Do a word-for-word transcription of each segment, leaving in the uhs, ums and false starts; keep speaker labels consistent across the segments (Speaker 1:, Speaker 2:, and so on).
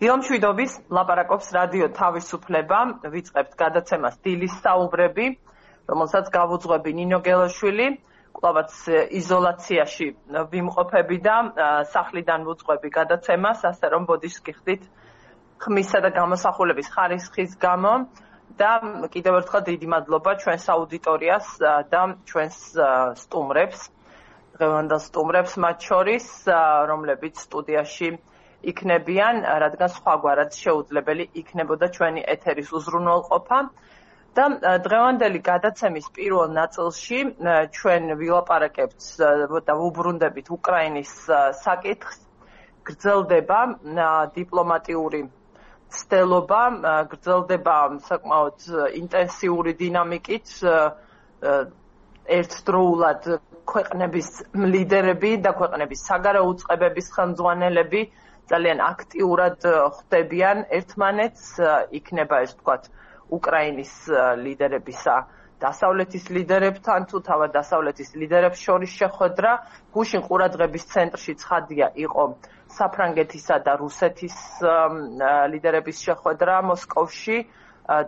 Speaker 1: დილამშვიდობის ლაპარაკობს რადიო თავისუფლება, ვიწყებთ გადაცემას დილის საუბრები, რომელსაც გავუძღვები ნინო გელაშვილი, კვლავაც იზოლაციაში ვიმყოფები და სახლიდან ვუძღვები გადაცემას, ასე რომ ბოდიშს გიხდით ხმისა და გამოსახულების ხარისხის გამო და კიდევ ერთხელ დიდი მადლობა ჩვენს აუდიტორიას და ჩვენს სტუმრებს, დღევანდელ სტუმრებს მათ შორის, რომლებიც სტუდიაში იქნებიან, რადგან სხვაგვარად შეუძლებელი იქნებოდა ჩვენი ეთერის უზრუნველყოფა და დღევანდელი გადაცემის პირველ ნაწილში ჩვენ ვილაპარაკებთ და ვუბრუნდებით უკრაინის საკითხს, გრძელდება დიპლომატიური ცდელობა, გრძელდება საკმაოდ ინტენსიური დინამიკით ერთდროულად ქვეყნების ლიდერები და ქვეყნების საგარეო უწყებების ხელმძღვანელები ძალიან აქტიურად ხვდებიან ერთმანეთს, იქნება ეს თქვათ უკრაინის ლიდერებისა დასავლეთის ლიდერებთან თუ თავად დასავლეთის ლიდერებს შორის შეხვედრა, გუშინ ყურადღების ცენტრში ცხადია იყო საფრანგეთისა და რუსეთის ლიდერების შეხვედრა მოსკოვში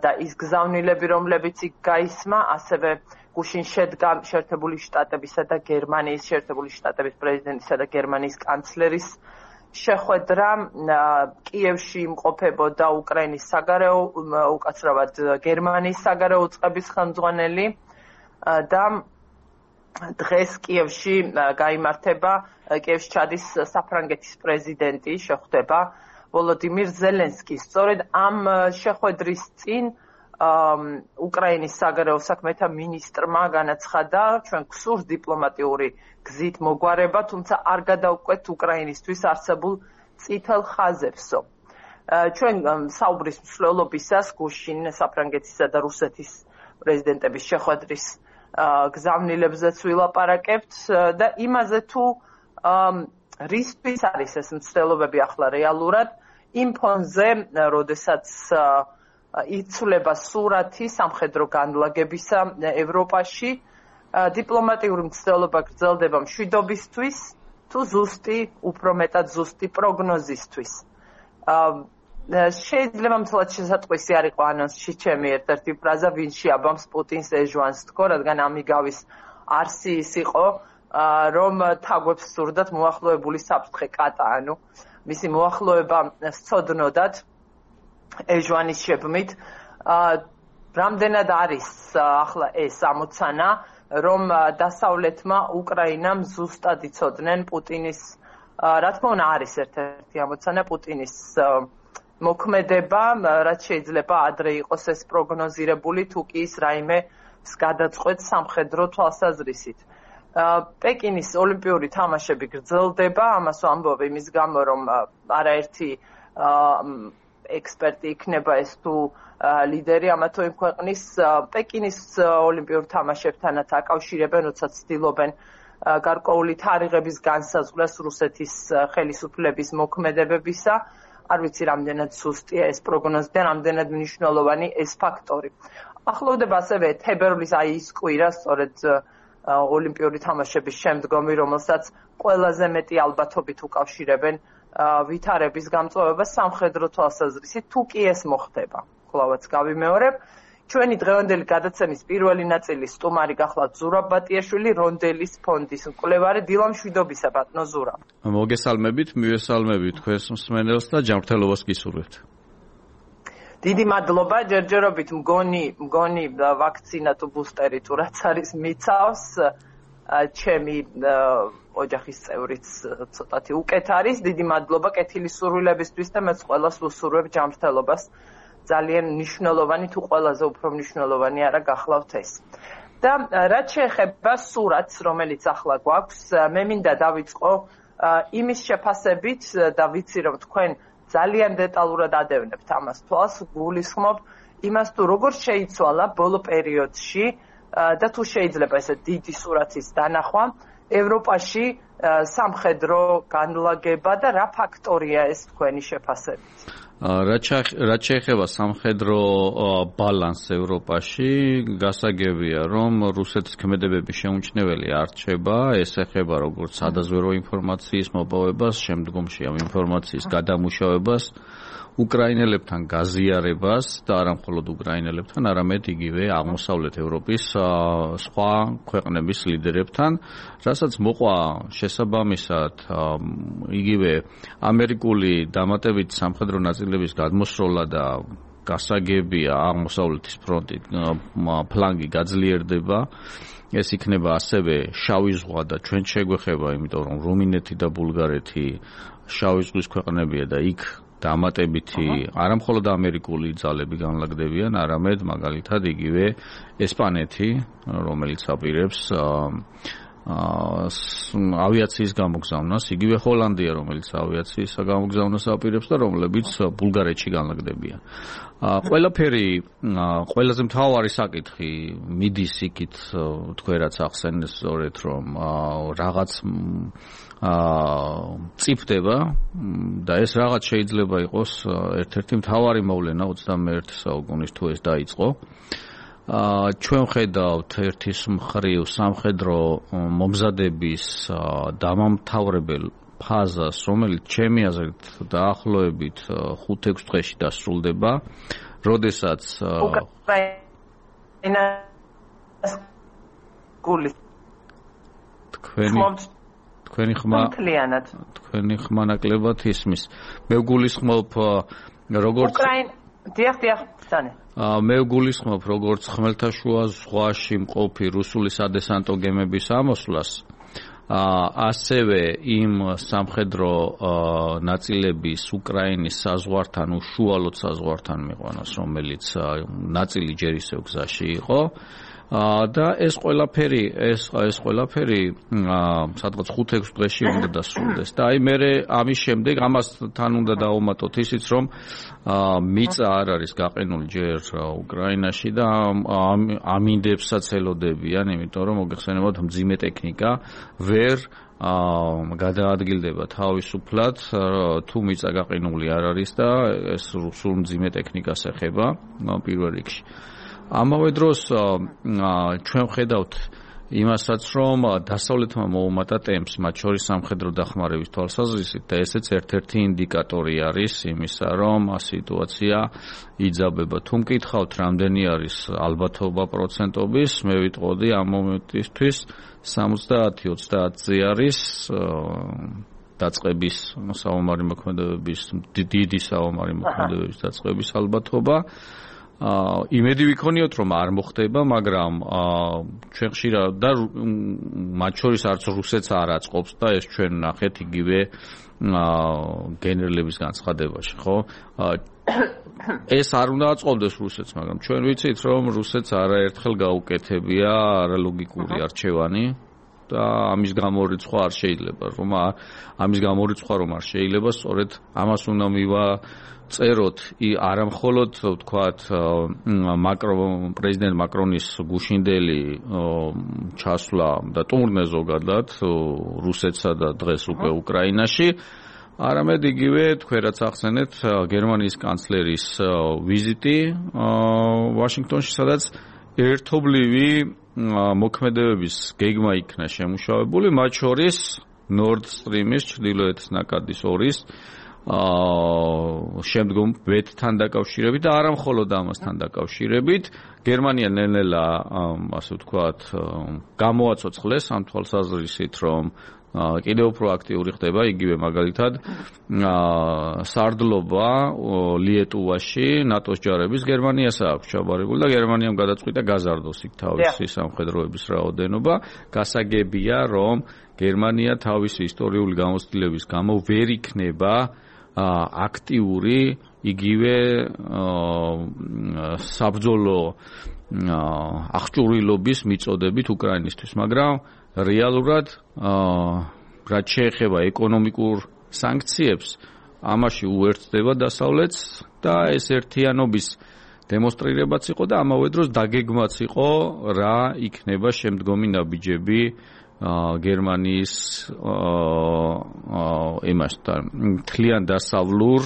Speaker 1: და ის გზავნილები, რომლებიც იქ გაისმა, ასევე გუშინ შედგა შეერთებული შტატებისა და გერმანიის შეერთებული შტატების პრეზიდენტისა და გერმანიის კანცლერის შეხვედრა, კიევში იმყოფებოდა უკრაინის საგარეო, უკაცრავად გერმანიის საგარეო უწყების ხელმძღვანელი და დღეს კიევში გაიმართება, კიევში ჩადის საფრანგეთის პრეზიდენტი, შეხვდება ვოლოდიმირ ზელენსკი. სწორედ ამ შეხვედრის წინ უკრაინის საგარეო საქმეთა მინისტრმა განაცხადა, ჩვენ გსურს დიპლომატიური გზით მოგვარება, თუმცა არ გადავყვეთ უკრაინისთვის არსებულ წითელ ხაზებსო. ჩვენ საუბრის მსვლელობისას გუშინ საფრანგეთისა და რუსეთის პრეზიდენტების შეხვედრის გზავნილებზეც ვილაპარაკებთ და იმაზე თუ რისთვის არის ეს მსვლელობები ახლა რეალურად, იმ ფონზე, როდესაც იცვლება სურათი სამხედრო განლაგებისა ევროპაში, დიპლომატიური მცდელობა გრძელდება მშვიდობისთვის თუ ზუსტი, უფრო მეტად ზუსტი პროგნოზისთვის. შეიძლება მთლად შესატყვისი არ იყო ანონსში ჩემი ერთ-ერთი ფრაზა, ვინ შეაბამს პუტინს ეჟვანს თქო, რადგან ამიგავის არსი ის იყო, რომ თაგვებს სურდათ მოახლოებული საფრთხე კატა, ანუ მისი მოახლოება სცოდნოდათ ეჟვანის შექმნით. რამდენად არის ახლა ეს ამოცანა, რომ დასავლეთმა უკრაინამ ზუსტად იცოდნენ პუტინის, რა თქმა უნდა არის ერთ-ერთი ამოცანა პუტინის მოქმედება, რაც შეიძლება ადრე იყოს ეს პროგნოზირებული, თუ კი ის რაიმე გადაწყვეტს სამხედრო თვალსაზრისით. პეკინის ოლიმპიური თამაშები გრძელდება, ამას ვამბობ იმის გამო, რომ არაერთი ექსპერტი იქნება ეს თუ ლიდერი ამა თუ იმ ქვეყნის პეკინის ოლიმპიურ თამაშებთანაც აკავშირებენ, როცა ცდილობენ გარკვეული თარიღების განსაზღვრას რუსეთის ხელისუფლების მოქმედებებისა. არ ვიცი რამდენად ზუსტია ეს პროგნოზი და რამდენად მნიშვნელოვანი ეს ფაქტორი. ახლოვდება ასევე თებერვლის აი ის კვირა, სწორედ ოლიმპიური თამაშების შემდგომი, რომელსაც ყველაზე მეტი ალბათობით უკავშირებენ ვითარების გამწვავებას სამხედრო თვალსაზრისით, თუ კი ეს მოხდება. კვლავაც გავიმეორებ, ჩვენი დღევანდელი გადაცემის პირველი ნაწილის სტუმარი გახლავთ ზურაბ ბატიაშვილი, რონდელის ფონდის მკვლევარი. დილამშვიდობისა ბატონო ზურაბ.
Speaker 2: მოგესალმებით, მივესალმებით თქვენს მსმენელს და ჯანმრთელობას გისურვებთ.
Speaker 1: დიდი მადლობა, ჯერჯერობით მგონი, მგონი ვაქცინა თუ ბუსტერი თუ რაც არის მიცავს. ჩემი ოჯახის წევრიც ცოტათი უკეთ არის. დიდი მადლობა კეთილი სურვილებისთვის და მეც ყველას ვუსურვებ ჯანმრთელობას. ძალიან მნიშვნელოვანი თუ ყველაზე უფრო მნიშვნელოვანი არა გახლავთ ეს. და რაც შეეხება სურათს, რომელიც ახლა გვაქვს, მე მინდა დავიწყო იმის შეფასებით და ვიცი რომ თქვენ ძალიან დეტალურად ადევნებთ ამას თვალს, გულისხმობ იმას თუ როგორ შეიცვალა ბოლო პერიოდში და თუ შეიძლება ესე დიდი სურათის დანახვა ევროპაში სამხედრო განლაგება და რა ფაქტორია ეს თქვენი შეფასებით?
Speaker 2: რაც შეეხება სამხედრო ბალანსს ევროპაში, გასაგებია, რომ რუსეთის ქმედებები შეუმჩნეველი არ რჩება, ეს ეხება როგორც სადაზვერვო ინფორმაციის მოპოვებას, შემდგომში ამ ინფორმაციის გადამუშავებას, უკრაინელებთან გაზიარებას და არა მხოლოდ უკრაინელებთან, არამედ იგივე აღმოსავლეთ ევროპის სხვა ქვეყნების ლიდერებთან, რასაც მოყვა შესაბამისად იგივე ამერიკული დამატებით სამხედრო ნაწილების გადმოსროლა და გასაგებია აღმოსავლეთის ფრონტი ფლანგი გაძლიერდება. ეს იქნება ასევე შავი ზღვა და ჩვენ შეგვეხება, იმიტომ რომ რუმინეთი და ბულგარეთი შავი ზღვის ქვეყნებია და იქ დამატებითი არა მხოლოდ ამერიკული ძალები განლაგდებიან, არამედ მაგალითად იგივე ესპანეთი, რომელიც აპირებს ავიაციის გამოგზავნას, იგივე ჰოლანდია, რომელიც ავიაციის გამოგზავნას აპირებს და რომლებიც ბულგარეთში განლაგდებიან. ყველაფერი, ყველაზე მთავარი საკითხი მიდის იქით, თქვენ რაც ახსენეთ სწორედ, რომ რაღაც წიფდება და ეს რაღაც შეიძლება იყოს ერთ-ერთი მთავარი მოვლენა ოცდამეერთე საუკუნის თუ ეს დაიწყო. ჩვენ ხედავთ ერთის მხრივ სამხედრო მომზადების დამამთავრებელ ფაზას, რომელიც ჩემი აზრით დაახლოებით ხუთ-ექვს დღეში დასრულდება, როდესაც თქვენი თქვენი ხმა თქვენი ხმა ნაკლებად ისმის. მე ვგულისხმობ როგორც
Speaker 1: უკრაინ დიახ დიახ ბრძანე
Speaker 2: მე ვგულისხმობ როგორც ხმელთაშუა ზღვაში მყოფი რუსული სადესანტო გემების ამოსვლას, ასევე იმ სამხედრო ნაწილების უკრაინის საზღვართან, უშუალოდ საზღვართან მიყვანას, რომელიც ნაწილი ჯერ ისევ გზაში იყო. და ეს ყველაფერი ეს ეს ყველაფერი სადღაც ხუთ-ექვს დღეში უნდა დასრულდეს და აი მე ამის შემდეგ ამას თან უნდა დავუმატოთ ისიც რომ მიწა არ არის გაყინული ჯერ უკრაინაში და ამინდებსაც ელოდებიან, იმიტომ რომ მოგეხსენებათ მძიმე ტექნიკა ვერ გადაადგილდება თავისუფლად თუ მიწა გაყინული არ არის და ეს რუსულ მძიმე ტექნიკას ეხება პირველ რიგში. ამავე დროს ჩვენ ხედავთ იმასაც, რომ დასავლეთმა მოუმატა ტემპს, მათ შორის სამხედრო დახმარების თვალსაზრისით და ესეც ერთ-ერთი ინდიკატორი არის იმისა, რომ სიტუაცია იძაბება. თუ მკითხავთ, რამდენი არის ალბათობა პროცენტობის, მე ვიტყოდი ამ მომენტისთვის სამოცდაათი ოცდაათზე არის დაწყების საომარი მოქმედებების, დიდი საომარი მოქმედებების დაწყების ალბათობა. იმედი ვიქონიოთ, რომ არ მოხდება, მაგრამ ჩვენ ხშირად და მათ შორის არც რუსეთს არ აწყობს და ეს ჩვენ ნახეთ იგივე გენერლების განცხადებაში, ხო? ეს არ უნდა აწყობდეს რუსეთს, მაგრამ ჩვენ ვიცით, რომ რუსეთს არაერთხელ გაუკეთებია არალოგიკური არჩევანი და ამის გამორიცხვა არ შეიძლება, რომ ამის გამორიცხვა რომ არ შეიძლება, სწორედ ამას უნდა მივა წეროთ არა მხოლოდ ვთქვათ მაკრონ პრეზიდენტ მაკრონის გუშინდელი ჩასვლა და ტურნე ზოგადად რუსეთსა და დღეს უკვე უკრაინაში, არამედ იგივე თქვენ რაც ახსენეთ გერმანიის კანცლერის ვიზიტი ვაშინგტონში, სადაც ერთობლივი მოქმედებების გეგმა იქნა შემუშავებული, მათ შორის Nord Stream-ის ჩრდილოეთის ნაკადის ორის შემდგომ ვეტთან დაკავშირებით და არა მხოლოდ ამასთან დაკავშირებით, გერმანია ნელ-ნელა ასე ვთქვათ გამოაცოცხლეს ამ თვალსაზრისით, რომ კიდევ უფრო აქტიური ხდება, იგივე მაგალითად სარდლობა ლიეტუვაში ნატოს ჯარების გერმანიას აქვს ჩაბარებული და გერმანიამ გადაწყვიტა გაზარდოს იქ თავისი სამხედროების რაოდენობა. გასაგებია, რომ გერმანია თავისი ისტორიული გამოცდილების გამო ვერ იქნება აქტიური იგივე საბრძოლო აღჭურვილობის მიწოდებით უკრაინისთვის, მაგრამ რეალურად რაც შეეხება ეკონომიკურ სანქციებს, ამაში უერთდება დასავლეთს და ეს ერთიანობის დემონსტრირებაც იყო და ამავე დროს დაგეგმაც იყო, რა იქნება შემდგომი ნაბიჯები გერმანიის იმასთან, თლიან დასავლურ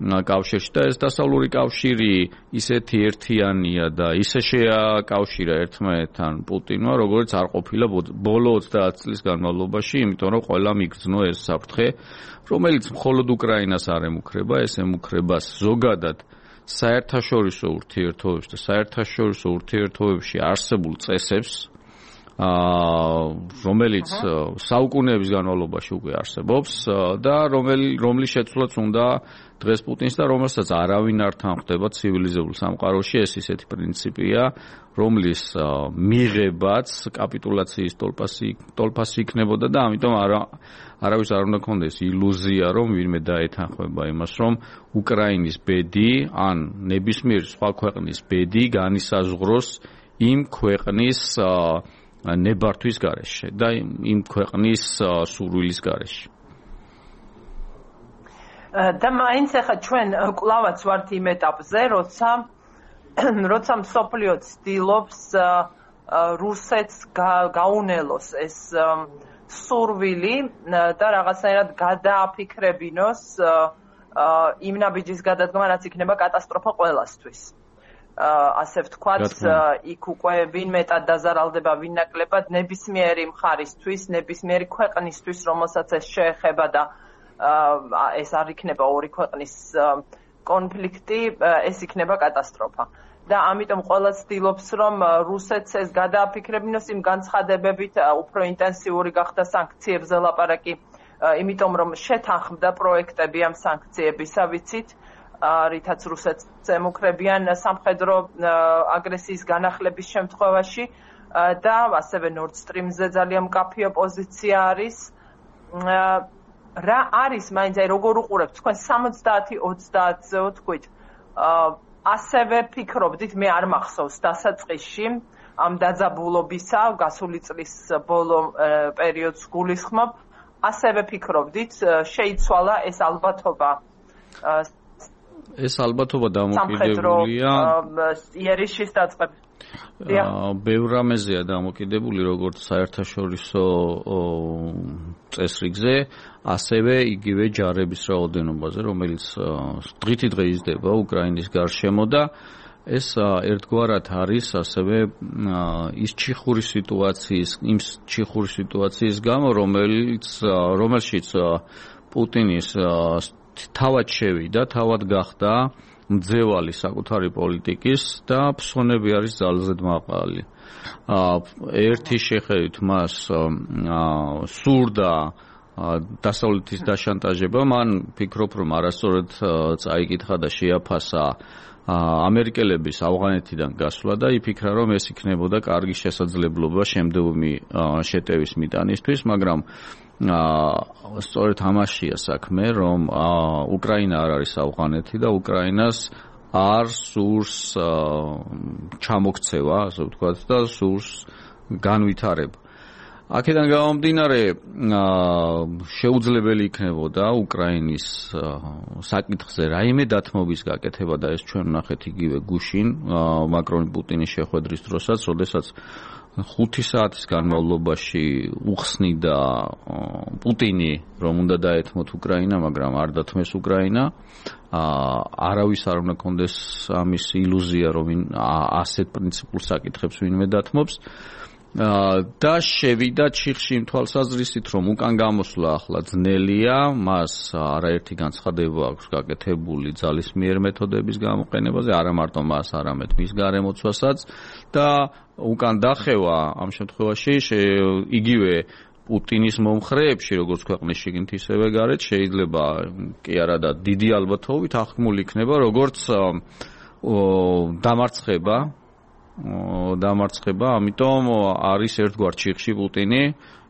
Speaker 2: კავშირში და ეს დასავლური კავშირი ისეთი ერთიანია და ისე შეაკავშირა ერთმანეთთან პუტინმა, როგორც არ ყოფილა ბოლო ოცდაათ წლის განმავლობაში, იმიტომ რომ ყველამ იგრძნო ეს საფრთხე, რომელიც მხოლოდ უკრაინას არ ემუქრება, ეს ემუქრება ზოგადად საერთაშორისო ურთიერთობებს და საერთაშორისო ურთიერთობებში არსებულ წესებს, რომელიც საუკუნეების განმავლობაში უკვე არსებობს და რომლის შეცვლაც უნდა დღეს პუტინს და რომელსაც არავინ არ თანხმდება ცივილიზებულ სამყაროში, ეს ისეთი პრინციპია, რომლის მიღებაც კაპიტულაციის ტოლფასი იქნებოდა და ამიტომ არა არავის არ უნდა ქონდეს ილუზია, რომ ვინმე დაეთანხმება იმას, რომ უკრაინის ბედი ან ნებისმიერი სხვა ქვეყნის ბედი განისაზღვროს იმ ქვეყნის ნებართვის გარეშე და იმ ქვეყნის სურვილის გარეშე.
Speaker 1: და მაინც ახლა ჩვენ კლავაც ვართ იმ ეტაპზე, როცა როცა მსოფლიო ცდილობს რუსეთს გაუნელოს ეს სურვილი და რაღაცნაირად გადააფიქრებინოს იმ ნაბიჯის გადადგმა, რაც იქნება კატასტროფა ყველასთვის. ასე ვთქვათ, იქ უკვე ვინ მეტად დაზარალდება, ვინ ნაკლებად, ნებისმიერი მხარისთვის, ნებისმიერი ქვეყნისთვის, რომელსაც ეს შეეხება და ეს არ იქნება ორი ქვეყნის კონფლიქტი, ეს იქნება კატასტროფა. და ამიტომ ყველა ცდილობს, რომ რუსეთს ეს გადააფიქრებინოს იმ განცხადებებით, უფრო ინტენსიური გახდა სანქციებზე ლაპარაკი, იმიტომ რომ შეთანხმდა პროექტები ამ სანქციებისა, ვიცით, რითაც რუსეთს ემუქრებიან სამხედრო აგრესიის განახლების შემთხვევაში და ასევე Nord Stream-ზე ძალიან მკაფიო პოზიცია არის. რა არის მაინც აი როგორ უყურებთ თქვენ სამოცდაათი ოცდაათზე ვთქვით, ასევე ფიქრობდით, მე არ მახსოვს დასაწყისში ამ დაძაბულობისა, გასული წლის ბოლო პერიოდს გულისხმობ, ასევე ფიქრობდით, შეიცვალა ეს ალბათობა
Speaker 2: ეს ალბათობა დამოკიდებულია
Speaker 1: იერიშის დაწყებით.
Speaker 2: ბევრ რამეზეა დამოკიდებული, როგორც საერთაშორისო წესრიგზე, ასევე იგივე ჯარების რაოდენობაზე, რომელიც დღითი დღე იზრდება უკრაინის გარშემო და ეს ერთგვარად არის ასევე ის ჩიხური სიტუაციის, იმ ჩიხური სიტუაციის გამო, რომელიც რომელშიც პუტინის თავად შევიდა, თავად გახდა მძევალი საკუთარი პოლიტიკის და ფსონები არის ძალზედ მაყალი. ერთი შეხედვით მას სურდა დასავლეთის დაშანტაჟება, მან ფიქრობ, რომ არასწორად წაიკითხა და შეაფასა ამერიკელების ავღანეთიდან გასვლა და იფიქრა, რომ ეს იქნებოდა კარგი შესაძლებლობა შემდგომი შეტევის მიტანისთვის, მაგრამ სწორედ ამაშია საქმე, რომ უკრაინა არ არის ავღანეთი და უკრაინას არ სურს ჩამოქცევა, ასე ვთქვათ, და სურს განვითარება. აქედან გამომდინარე, შეუძლებელი იქნებოდა უკრაინის საკითხზე რაიმე დათმობის გაკეთება და ეს ჩვენ ვნახეთ იგივე გუშინ მაკრონ-პუტინის შეხვედრის დროსაც, როდესაც ხუთი საათის განმავლობაში უხსნიდა პუტინი, რომ უნდა დაეთმოთ უკრაინა, მაგრამ არ დათმეს უკრაინა. არავის არ უნდა კონდეს ამის ილუზია, რომ ასეთ პრინციპულ საკითხებს ვინმე დათმობს. და შევიდა ჩიხში იმ თვალსაზრისით, რომ უკან გამოსვლა ახლა ძნელია, მას არაერთი განცხადება აქვს გაკეთებული ძალისმიერ მეთოდების გამოყენებაზე, არა მარტო მას, არამედ მის გარემოცვასაც და უკან დახევა ამ შემთხვევაში იგივე პუტინის მომხრეებში, როგორც ქვეყნის შიგნით, ისევე გარეთ, შეიძლება კი არა და დიდი ალბათობით აღქმული იქნება, როგორც დამარცხება დამარცხება, ამიტომ არის ერთგვარ ჩიხში პუტინი,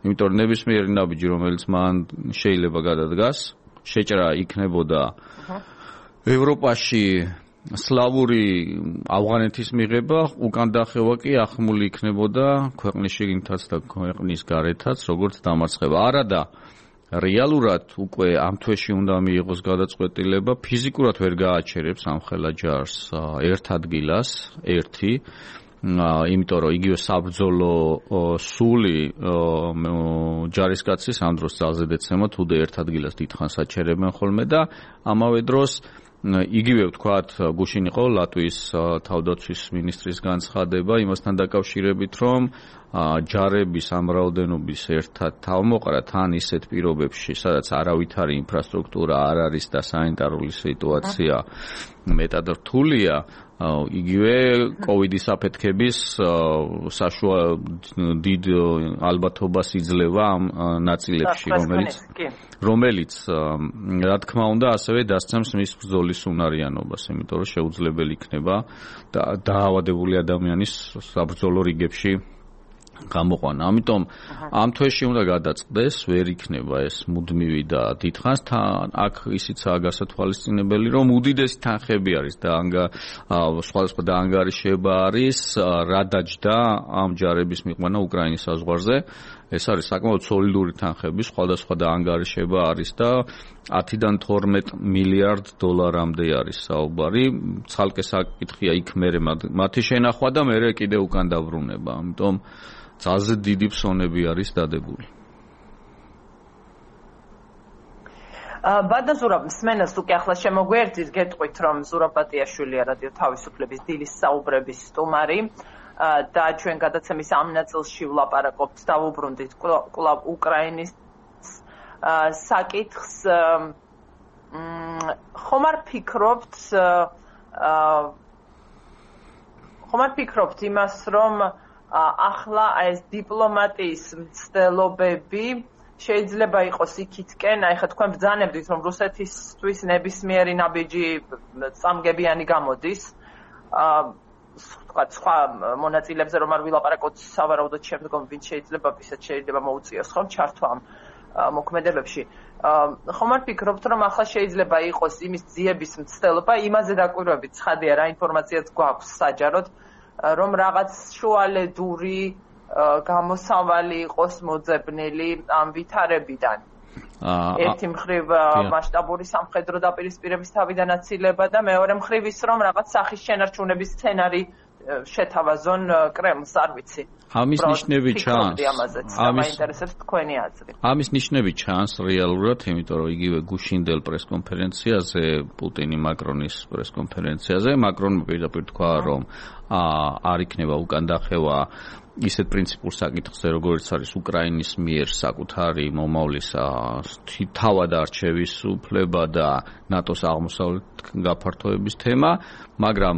Speaker 2: იმიტომ რომ ნებისმიერი ნაბიჯი, რომელიც მან შეიძლება გადადგას, შეჭრა იქნებოდა ევროპაში სლავური ავღანეთის მიღება, უკან დახევა კი ახმული იქნებოდა ქვეყნის შიგნითაც და ქვეყნის გარეთაც, როგორც დამარცხება. არადა რეალურად უკვე ამ თვეში უნდა მიიღოს გადაწყვეტილება, ფიზიკურად ვერ გააჩერებს ამ ხელა ჯარს ერთ ადგილას, ერთი, იმიტომ რომ იგივე საბრძოლო სული ჯარისკაცის ამ დროს ძალზე დეცემა, თუ და ერთ ადგილას დიდხანს აჩერებენ ხოლმე და ამავე დროს იგივე ვთქვათ, გუშინ იყო ლატვიის თავდაცვის მინისტრის განცხადება იმასთან დაკავშირებით, რომ ჯარების ამ რაოდენობის ერთად თავმოყრა თან ისეთ პირობებში, სადაც არავითარი ინფრასტრუქტურა არ არის და სანიტარული სიტუაცია მეტად რთულია, იგივე კოვიდის აფეთქების საშუა დიდ ალბათობას იძლევა ამ ნაწილებში, რომელიც რომელიც რა თქმა უნდა ასევე დასცემს მის ბრძოლის უნარიანობას, იმიტომ რომ შეუძლებელი იქნება დაავადებული ადამიანის საბრძოლო რიგებში გამოყვანა. ამიტომ ამ თვეში უნდა გადაწყდეს, ვერ იქნება ეს მუდმივი და დიდხანს თან აქ ისიცაა გასათვალისწინებელი, რომ უდიდესი თანხები არის და სხვადასხვა დაანგარიშება არის, რა დაჯდა ამ ჯარების მიყვანა უკრაინის საზღვარზე. ეს არის საკმაოდ სოლიდური თანხები, სხვადასხვა დაანგარიშება არის და ათიდან თორმეტ მილიარდ დოლარამდე არის საუბარი. ცალკე საკითხია იქ მერე მათი შენახვა და მერე კიდე უკან დაბრუნება. ამიტომ ძალზე დიდი ფსონები არის დადებული.
Speaker 1: ბადა ზურაბ, მსმენელს უკვე ახლა შემოგვერდით, გეტყვით, რომ ზურაბ ბატიაშვილია რადიო თავისუფლების დილის საუბრების სტუმარი და ჩვენ გადაცემის ამ ნაწილში ვლაპარაკობთ, დავუბრუნდით კვლავ უკრაინის საკითხს. ხომ არ ფიქრობთ ხომ არ ფიქრობთ იმას, რომ ახლა ეს დიპლომატიის მცდელობები შეიძლება იყოს იქითკენ, აი ხა თქვენ ბრძანებდით, რომ რუსეთისთვის ნებისმიერი ნაბიჯი წამგებიანი გამოდის. თქვა სხვა მონაწილეებზე რომ არ ვილაპარაკოთ, სავარაუდოდ შემდგომ ვინც შეიძლება ვისაც შეიძლება მოუწიოს ხომ ჩართვა ამ მოქმედებებში. ხომ არ ფიქრობთ, რომ ახლა შეიძლება იყოს იმის ძიების მცდელობა, იმაზე დაკვირვებით ცხადია რა ინფორმაციაც გვაქვს საჯაროდ, რომ რაღაც შუალედური გამოსავალი იყოს მოძებნილი ამ ვითარებიდან. ერთი მხრივ მასშტაბური სამხედრო დაპირისპირების თავიდან აცილება და მეორე მხრივ ის, რომ რაღაც სახის შენარჩუნების სცენარი შეთავაზონ კრემლს, არ ვიცი.
Speaker 2: ამის ნიშნები ჩანს.
Speaker 1: ამის ინტერესებს თქვენი აზრი.
Speaker 2: ამის ნიშნები ჩანს რეალურად, იმიტომ რომ იგივე გუშინდელ პრესკონფერენციაზე, პუტინი მაკრონის პრესკონფერენციაზე, მაკრონმა პირდაპირ თქვა, რომ არ იქნება უკან დახევა ისეთ პრინციპულ საკითხზე, როგორც არის უკრაინის მიერ საკუთარი მომავლის თავად არჩევის უფლება და ნატოს აღმოსავლეთ გაფართოების თემა, მაგრამ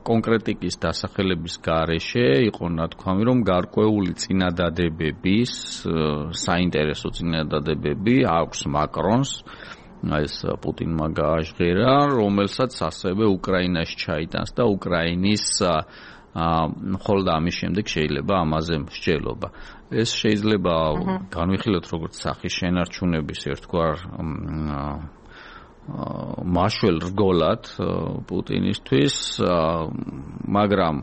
Speaker 2: კონკრეტიკის დასახელების გარეშე იყო ნათქვამი, რომ გარკვეული წინადადებების, საინტერესო წინადადებები აქვს მაკრონს, ეს პუტინმა გააჟღერა, რომელსაც ასევე უკრაინაში ჩაიტანს და უკრაინის მხოლოდ ამის შემდეგ შეიძლება ამაზე მსჯელობა. ეს შეიძლება განვიხილოთ როგორც სახის შენარჩუნების ერთგვარ მაშველ რგოლად პუტინისთვის, მაგრამ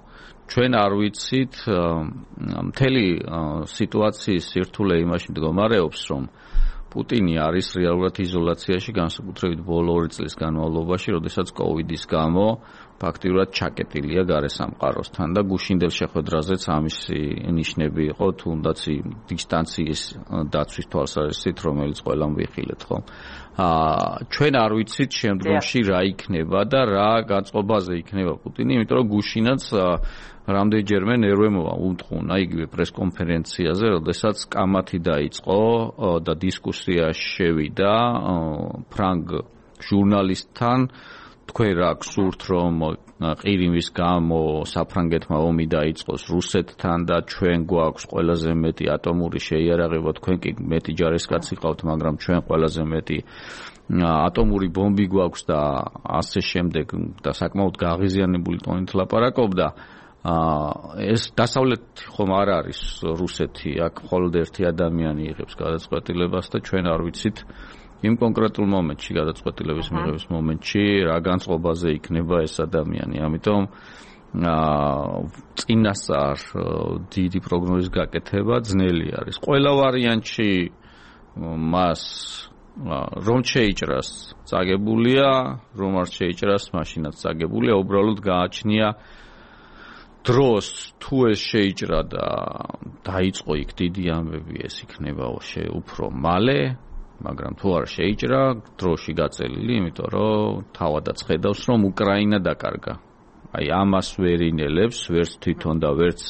Speaker 2: ჩვენ არ ვიცით მთელი სიტუაციის სირთულე იმაში მდგომარეობს, რომ პუტინი არის რეალურად იზოლაციაში, განსაკუთრებით ბოლო ორი წლის განმავლობაში, როდესაც კოვიდის გამო ფაქტიურად ჩაკეტილია გარესამყაროსთან და გუშინდელ შეხვედრაზეც ამისი ნიშნები იყო, თუნდაც დისტანციის დაცვის თვალსაზრისით, რომელიც ყველამ ვიხილეთ, ხო? აა ჩვენ არ ვიცით შემდგომში რა იქნება და რა გაწყობაზე იქნება პუტინი, იმიტომ რომ გუშინაც რამდენჯერმე ნერვემოა უთხოვნა იგივე პრესკონფერენციაზე, როდესაც კამათი დაიწყო და დისკუსია შევიდა ფრანგ ჟურნალისტთან, თქვენ რა გსურთ, რომ ყირიმის გამო საფრანგეთმა ომი დაიწყოს რუსეთთან და ჩვენ გვაქვს ყველაზე მეტი ატომური შეიარაღება, თქვენ კი მეტი ჯარისკაცი ყავთ, მაგრამ ჩვენ ყველაზე მეტი ატომური ბომბი გვაქვს და ასე შემდეგ და საკმაოდ გაღიზიანებული ტონით ლაპარაკობდა. ეს დასავლეთი ხომ არ არის რუსეთი, აქ მხოლოდ ერთი ადამიანი იღებს გადაწყვეტილებას და ჩვენ არ ვიცით იმ კონკრეტულ მომენტში, გადაწყვეტილების მიღების მომენტში, რა განწყობაზე იქნება ეს ადამიანი. ამიტომ წინასწარ დიდი პროგნოზის გაკეთება ძნელი არის. ყველა ვარიანტში მას რომ შეიჭრას წაგებულია, რომ არ შეიჭრას მაშინაც წაგებულია, უბრალოდ გააჩნია დროს თუ ეს შეიჭრა და დაიწყო იქ დიდი ამბები, ეს იქნება უფრო მალე მაგრამ თუ არ შეიჭრა დროში გაწელილი, იმიტომ რომ თავადაც ხედავს, რომ უკრაინა დაკარგა. აი ამას ვერ ინელებს, ვერც თვითონ და ვერც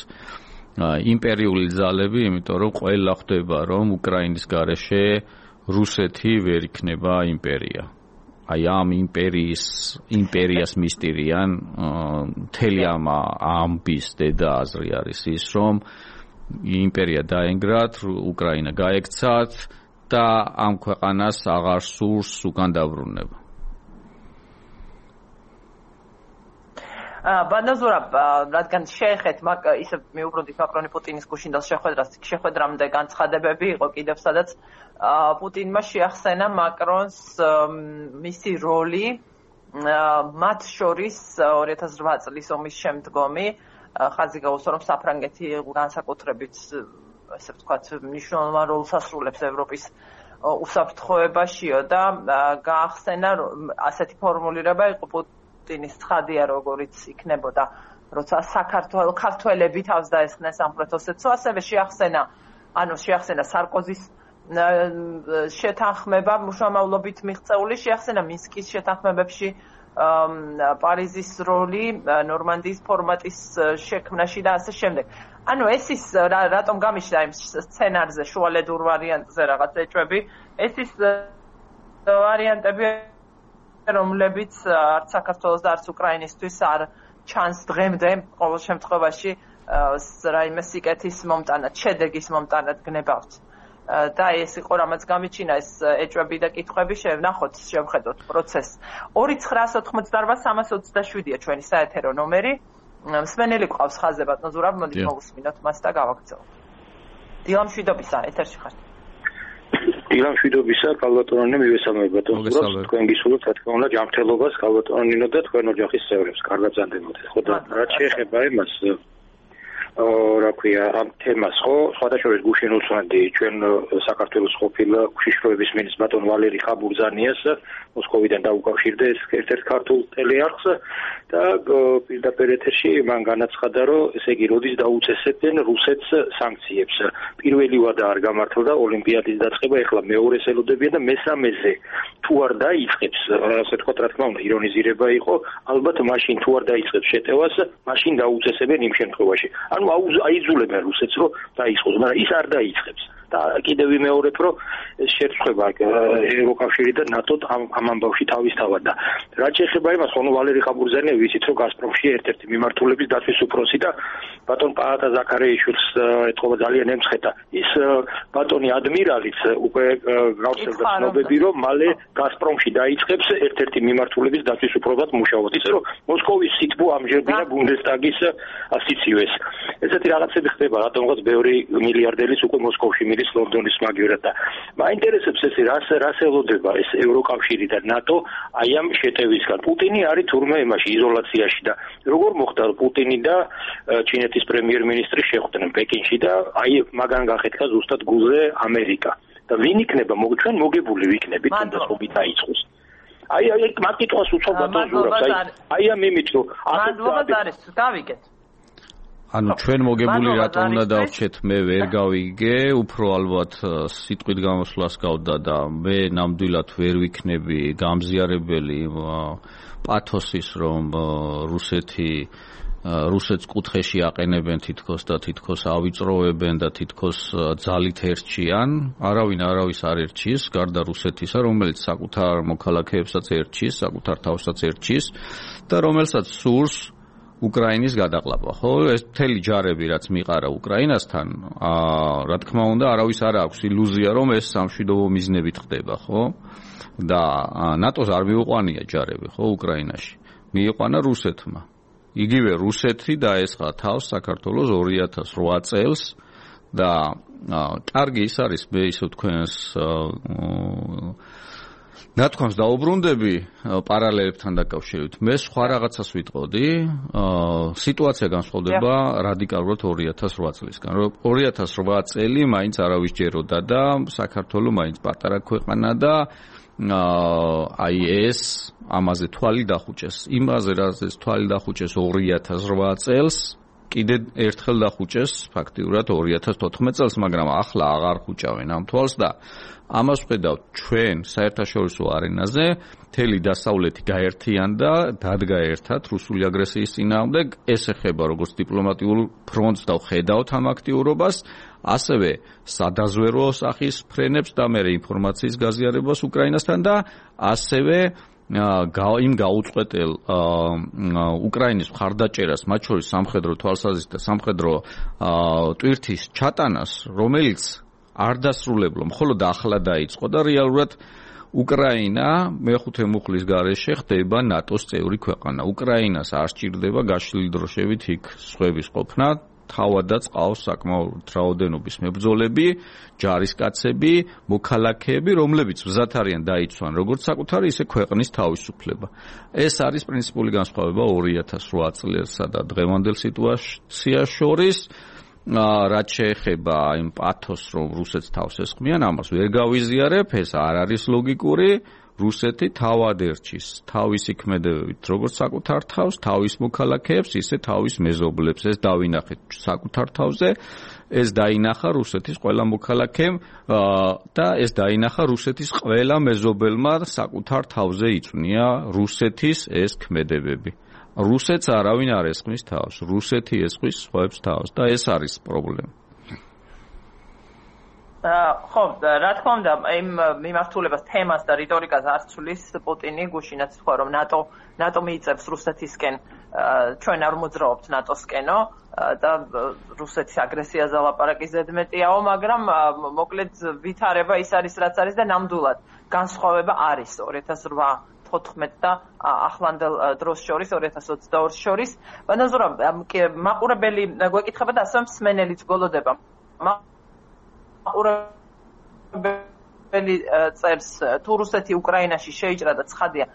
Speaker 2: იმპერიული ძალები, იმიტომ რომ ყველა ხვდება, რომ უკრაინის გარეშე რუსეთი ვერ იქნება იმპერია. აი ამ იმპერიის იმპერიას მისტირიან მთელი ამ ამბის დედა აზრი არის ის, რომ იმპერია დაენგრათ, უკრაინა გაექცათ და ამ ქვეყანას აღარ სურს უკან დაბრუნება.
Speaker 1: ბანაზურაბ, რადგან შეეხეთ ისე მიუბრუნდით მაკრონი პუტინის გუშინდელ შეხვედრას, შეხვედრამდე განცხადებები იყო კიდევ სადაც პუტინმა შეახსენა მაკრონს მისი როლი მათ შორის ორი ათას რვა წლის ომის შემდგომი ხაზი გაუსვა, რომ საფრანგეთი განსაკუთრებით ესე ვთქვათ მნიშვნელოვან როლს ასრულებს ევროპის უსაფრთხოებაშიო და გაახსენა ასეთი ფორმულირება იყო პუტინის ცხადია, როგორიც იქნებოდა, როცა საქართველო ქართველები თავს დაესხნენ სამხრეთ ოსეთს, ასევე შეახსენა, ანუ შეახსენა სარკოზის შეთანხმება მუშამავლობით მიღწეული, შეახსენა მინსკის შეთანხმებებში პარიზის როლი, ნორმანდიის ფორმატის შექმნაში და ასე შემდეგ. ანუ ეს ის რატომ გამიშლა იმ სცენარზე, შუალედურ ვარიანტზე რაღაც ეჭვები, ეს ის ვარიანტები, რომლებიც არც საქართველოს და არც უკრაინისთვის არ ჩანს დღემდე, ყოველ შემთხვევაში რაიმე სიკეთის მომტანად, შედეგის მომტანად გნებავთ. და ეს იყო რამაც გამიჩინა ეს ეჭვები და კითხვები, შევნახოთ, შევხედოთ პროცესს. ორი ცხრაას ოთხმოცდარვა სამას ოცდაშვიდია ჩვენი საეთერო ნომერი. მსმენელი ყავს ხაზზე ბატონ ზურაბ, მოდით მოვუსმინოთ მას და გავაქცევთ. დილამ შვიდობისა, ეთერში ხართ.
Speaker 3: დილამ შვიდობისა, კალბატონონი მივესალმებ ბატონ ზურაბს, თქვენ გისურვებთ რა თქმა უნდა ჯანმრთელობას კალბატონინო და თქვენ ოჯახის წევრებს, კარგად ზანდებოდეთ. ხო და რაც შეეხება იმას რა ქვია ამ თემას, ხო, სხვადასხვა გუშინ უსვანდი ჩვენ საქართველოს ყოფილ უშიშროების მინისტრ ბატონ ვალერი ხაბურზანიას მოსკოვიდან დაუკავშირდა ეს ერთ-ერთ ქართულ ტელეარხს და პირდაპირ ეთერში მან განაცხადა, რომ ესე იგი როდის დაუწესებენ რუსეთს სანქციებს. პირველი ვადა არ გამართლდა ოლიმპიადის დაწყება, ეხლა მეორეს ელოდებიან და მესამეზე თუ არ დაიწყებს, ასე თქვა, რა თქმა უნდა, ირონიზირება იყო, ალბათ მაშინ თუ არ დაიწყებს შეტევას, მაშინ დაუწესებენ იმ შემთხვევაში. ანუ აიძულებენ რუსეთს, რომ დაიწყოს, მაგრამ ის არ დაიწყებს. და კიდევ ვიმეორებ, რომ შერწყება ევროკავშირი და ნატო ამ ამბავში თავისთავად და რაც შეეხება იმას, ხო, ვალერი ხაბურზანია ვიცით, რომ გაზპრომში ერთ-ერთი მიმართულების დაცვის უფროსი და ბატონ პაატა ზაქარეიშვილს ეთყობა ძალიან ემცხეთა. ის ბატონი ადმირალიც უკვე გავსებდა ცნობები, რომ მალე გაზპრომში დაიწყებს ერთ-ერთი მიმართულების დაცვის უფროსად მუშაობას. ისე რომ მოსკოვის სიტბო ამჯერდია ბუნდესტაგის ასიცივეს. ესეთი რაღაცები ხდება, რატომღაც ბევრი მილიარდერის უკვე მოსკოვში მიდის ლონდონის მაგივრად და მაინტერესებს ეს რას რას ელოდება ეს ევროკავშირი და ნატო აი ამ შეტევისგან. პუტინი არის თურმე იმაში იზოლაციაში და როგორ მოხდა პუტინი და ჩინეთის პრემიერ-მინისტრი შეხვდნენ პეკინში და აი მაგან გახეთქა ზუსტად გულზე ამერიკა. და ვინ იქნება ჩვენ მოგებული ვიქნებით თუნდაც ომი დაიწყოს. აი აი მაგ კითხვას უცებ ბატონ ზურაბს. აი აი ამ იმით რომ
Speaker 1: მადლობა არის, გავიგეთ.
Speaker 2: ანუ ჩვენ მოგებული რატომ უნდა დავრჩეთ, მე ვერ გავიგე, უფრო ალბათ სიტყვით გამოსვლას გავდა და მე ნამდვილად ვერ ვიქნები გამზიარებელი პათოსის, რომ რუსეთი რუსეთს კუთხეში აყენებენ თითქოს და თითქოს ავიწროვებენ და თითქოს ძალით ერჩიან. არავინ არავის არ ერჩის, გარდა რუსეთისა, რომელიც საკუთარ მოქალაქეებსაც ერჩის, საკუთარ თავსაც ერჩის და რომელსაც სურს უკრაინის გადაყლაპა, ხო? ეს მთელი ჯარები, რაც მიყარა უკრაინასთან, აა, რა თქმა უნდა, არავის არ აქვს ილუზია, რომ ეს სამშვიდობო მიზნებით ხდება, ხო? და ნატოს არ მიუყვანია ჯარები, ხო, უკრაინაში. მიიყვანა რუსეთმა. იგივე რუსეთი დაესხა თავს საქართველოს ორი ათას რვა წელს და კარგი ის არის, მე ისე თქვენს ნათქვამს დაუბრუნდები პარალელებთან დაკავშირებით. მე სხვა რაღაცას ვიტყოდი, სიტუაცია განსხვავდება რადიკალურად ორი ათას რვა წლისგან. ორი ათას რვა წელი მაინც არავის ჯეროდა და საქართველო მაინც პატარა ქვეყანა და აი ეს ამაზე თვალი დახუჭეს. იმაზე რაზეც თვალი დახუჭეს ორი ათას რვა წელს, კიდე ერთხელ დახუჭეს ფაქტიურად ორი ათას თოთხმეტ წელს, მაგრამ ახლა აღარ ხუჭავენ ამ თვალს და ამას ვხედავთ ჩვენ საერთაშორისო არენაზე მთელი დასავლეთი გაერთიანდა, დადგა ერთად რუსული აგრესიის წინააღმდეგ, ეს ეხება როგორც დიპლომატიურ ფრონტს და ვხედავთ ამ აქტიურობას, ასევე სადაზვერო სახის ფრენებს და მე ინფორმაციის გაზიარებას უკრაინასთან და ასევე იმ გაუწყვეტელ უკრაინის მხარდაჭერას, მათ შორის სამხედრო თვალსაზრისით და სამხედრო ტვირთის ჩატანას, რომელიც არ დასრულებლო, მხოლოდ ახლა დაიწყო და რეალურად უკრაინა მეხუთე მუხლის გარეშე ხდება ნატოს წევრი ქვეყანა. უკრაინას არ სჭირდება გაშლილი დროშებით იქ სხვების ყოფნა, თავადაც ყავს საკმაოდ რაოდენობის მებრძოლები, ჯარისკაცები, მოქალაქეები, რომლებიც მზად არიან დაიცვან როგორც საკუთარი, ისე ქვეყნის თავისუფლება. ეს არის პრინციპული განსხვავება ორი ათას რვა წლსა და დღევანდელ სიტუაციას შორის. რაც შეეხება იმ პათოსს, რომ რუსეთს თავს ესხმიან, ამას ვერ გავიზიარებ, ეს არ არის ლოგიკური. რუსეთი თავად ერჩის თავისი ქმედებებით, როგორც საკუთარ თავს, თავის მოქალაქეებს, ისე თავის მეზობლებს. ეს დავინახეთ საკუთარ თავზე, ეს დაინახა რუსეთის ყველა მოქალაქემ და ეს დაინახა რუსეთის ყველა მეზობელმა საკუთარ თავზე იწვნია რუსეთის ეს ქმედებები. რუსეთს არავინ არ ესხმის თავს, რუსეთი ესხმის სხვებს თავს და ეს არის პრობლემა.
Speaker 1: ხო, რა თქმა უნდა, იმ მიმართულებას, თემას და რიტორიკას არ ცვლის პუტინი, გუშინაც თქვა, რომ ნატო ნატო მიიწევს რუსეთისკენ, ჩვენ არ მოძრაობთ ნატოსკენო და რუსეთის აგრესიაზე ლაპარაკი ზედმეტიაო, მაგრამ მოკლედ ვითარება ის არის, რაც არის და ნამდვილად განსხვავება არის ორი ათას რვა თოთხმეტ და ახლანდელ დროს შორის, ორი ათას ოცდაორს შორის. ბანაზურა, მაყურებელი გვეკითხება და ასევე მსმენელიც გოლოდება. მაყურებელი წერს, თუ რუსეთი უკრაინაში შეიჭრა და ცხადია,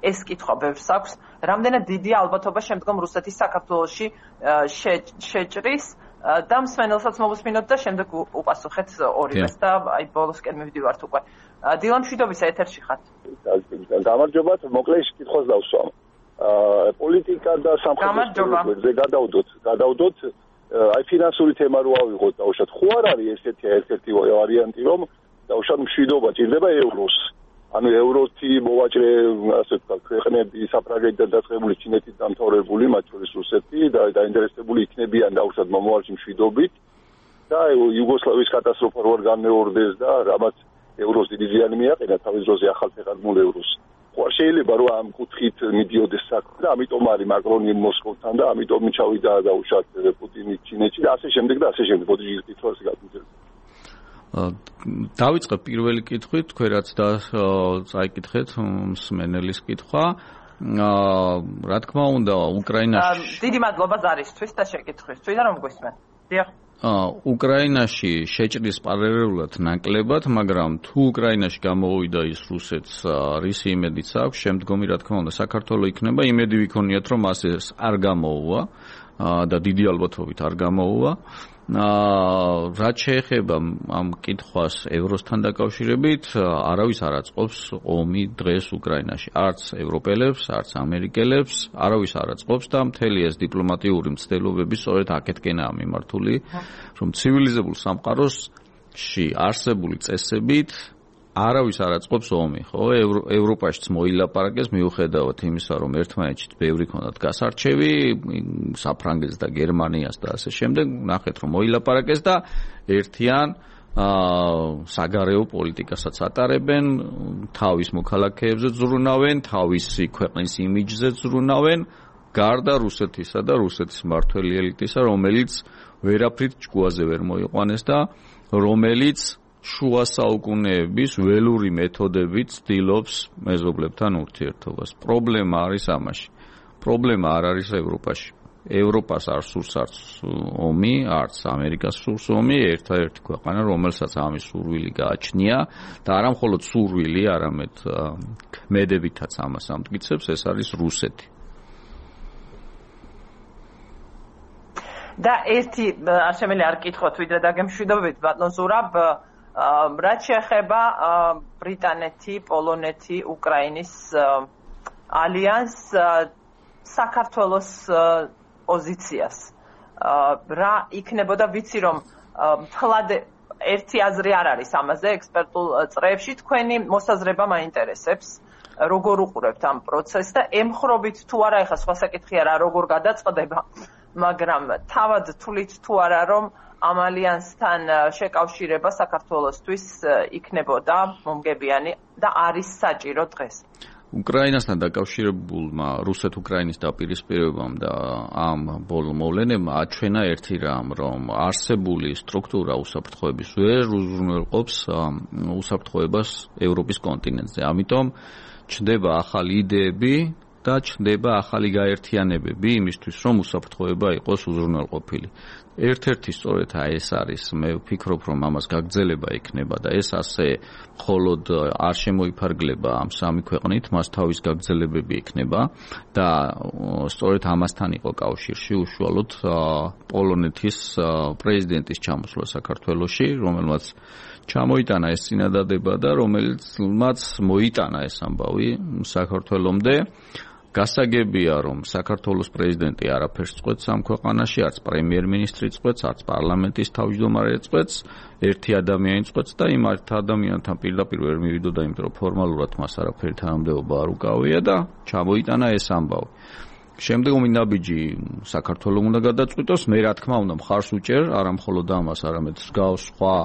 Speaker 1: ეს კითხვა ბევრს აქვს, რამდენად დიდია ალბათობა შემდგომ რუსეთის საქართველოში შეჭრის და მსმენელსაც მოვუსმინოთ და შემდეგ უპასუხეთ ორივეს და აი ბოლოსკენ მივდივართ უკვე. დილა მშვიდობისა, ეთერში ხართ.
Speaker 4: გამარჯობათ, მოკლედ კითხვას დავსვამ. პოლიტიკა და სამხედრო გადავდოთ, გადავდოთ აი ფინანსური თემა რო ავიღოთ დაუშვათ. ხო არ არის ესეთი ერთ-ერთი ვარიანტი, რომ დაუშვათ მშვიდობა ჭირდება ევროს. ანუ ევროთი მოვაჭრე, ასე ვთქვათ, ქვეყნები საფრანგეთიდან დაწყებული, ჩინეთით დამთავრებული, მათ შორის რუსეთი და დაინტერესებული იქნებიან დაუშვათ მომავალში მშვიდობით და იუგოსლავიის კატასტროფა რო არ განმეორდეს და რამაც ევროს დიდი ზიანი მიაყენა თავის დროზე ახალ ფეხადმულ ევროს. ხო არ შეიძლება რომ ამ კუთხით მიდიოდეს საქმე და ამიტომ არის მაკრონი მოსკოვთან და ამიტომ ჩავიდა დაუშვათ პუტინი ჩინეთში და ასე შემდეგ და ასე შემდეგ. მოდი კითხვას გაგუძებ.
Speaker 2: დავიწყებ პირველი კითხვით, თქვენ რაც და წაიკითხეთ მსმენელის კითხვა. რა თქმა უნდა, უკრაინაში
Speaker 1: დიდი მადლობა ზარისთვის და შეკითხვისთვის და რომ გვისმენ. დიახ.
Speaker 2: უკრაინაში შეჭრის პარალელურად ნაკლებად, მაგრამ თუ უკრაინაში გამოვიდა ის რუსეთს, რისი იმედიც აქვს, შემდგომი რა თქმა უნდა საქართველოს იქნება, იმედი ვიქონიათ, რომ ასე არ გამოუვა და დიდი ალბათობით არ გამოუვა. რაც შეეხება ამ კითხვას ევროსთან დაკავშირებით, არავის არ აწყობს ომი დღეს უკრაინაში, არც ევროპელებს, არც ამერიკელებს, არავის არ აწყობს და მთელი ეს დიპლომატიური მცდელობები სწორედ აქეთკენაა მიმართული, რომ ცივილიზებულ სამყაროში არსებული წესებით არავის არ აწყობს ომი, ხო? ევროპაშიც მოილაპარაკეს მიუხედავად იმისა, რომ ერთმანეთშიც ბევრი ქონდათ გასარჩევი, საფრანგეთს და გერმანიას და ასე შემდეგ, ნახეთ რომ მოილაპარაკეს და ერთიან საგარეო პოლიტიკასაც ატარებენ, თავის მოქალაქეებზე ზრუნავენ, თავისი ქვეყნის იმიჯზე ზრუნავენ, გარდა რუსეთისა და რუსეთის მმართველი ელიტისა, რომელიც ვერაფრით ჭკუაზე ვერ მოიყვანეს და რომელიც შუა საუკუნეების ველური მეთოდებით ცდილობს მეზობლებთან ურთიერთობას. პრობლემა არის ამაში. პრობლემა არ არის ევროპაში. ევროპას არ სურს არც ომი, არც ამერიკას სურს ომი, ერთადერთი ქვეყანა, რომელსაც ამის სურვილი გააჩნია და არა მხოლოდ სურვილი, არამედ ქმედებითაც ამას ამტკიცებს, ეს არის რუსეთი.
Speaker 1: და ერთი არ შემიძლია არ კითხოთ, ვიდრე დაგემშვიდობებით, ბატონ ზურაბ, რაც შეეხება ბრიტანეთი, პოლონეთი, უკრაინის ალიანს, საქართველოს პოზიციას. რა იქნებოდა ვიცი რომ მთლად ერთი აზრი არ არის ამაზე ექსპერტულ წრეებში თქვენი მოსაზრება მაინტერესებს როგორ უყურებთ ამ პროცესს და ემხრობით თუ არა ეხლა სხვა საკითხია რა როგორ გადაწყდება მაგრამ თავად თulit თუ არა რომ ამ ალიანსთან შეკავშირება საქართველოსთვის იქნებოდა მომგებიანი და არის საჭირო დღეს
Speaker 2: უკრაინასთან დაკავშირებულმა რუსეთ-უკრაინის დაპირისპირებამ და ამ ბოლო მოვლენებმა აჩვენა ერთი რამ, რომ არსებული სტრუქტურა უსაფრთხოების ვერ უზრუნველყოფს უსაფრთხოებას ევროპის კონტინენტზე. ამიტომ ჩნდება ახალი იდეები და ჩნდება ახალი გაერთიანებები იმისთვის, რომ უსაფრთხოება იყოს უზრუნველყოფილი. ერთ-ერთი სწორედ ეს არის, მე ვფიქრობ, რომ ამას გაგრძელება იქნება და ეს ასე მხოლოდ არ შემოიფარგლება ამ სამი ქვეყნით, მას თავის გაგრძელებები იქნება და სწორედ ამასთან იყო კავშირში უშუალოდ პოლონეთის პრეზიდენტის ჩამოსვლა საქართველოში, რომელმაც ჩამოიტანა ეს წინადადება და რომელმაც მოიტანა ეს ამბავი საქართველომდე. გასაგებია, რომ საქართველოს პრეზიდენტი არაფერს წყვეტს ამ ქვეყანაში, არც პრემიერ-მინისტრი წყვეტს, არც პარლამენტის თავმჯდომარე წყვეტს, ერთი ადამიანი წყვეტს და იმ ადამიანთან პირდაპირ ვერ მივიდოდა, იმიტომ რომ ფორმალურად მას არაფერი თანამდებობა არ უკავია და ჩამოიტანა ეს ამბავი. შემდგომი ნაბიჯი საქართველოს უნდა გადაწყვიტოს, მე რა თქმა უნდა მხარს უჭერ, არა მხოლოდ ამას, არამედ მსგავს სხვა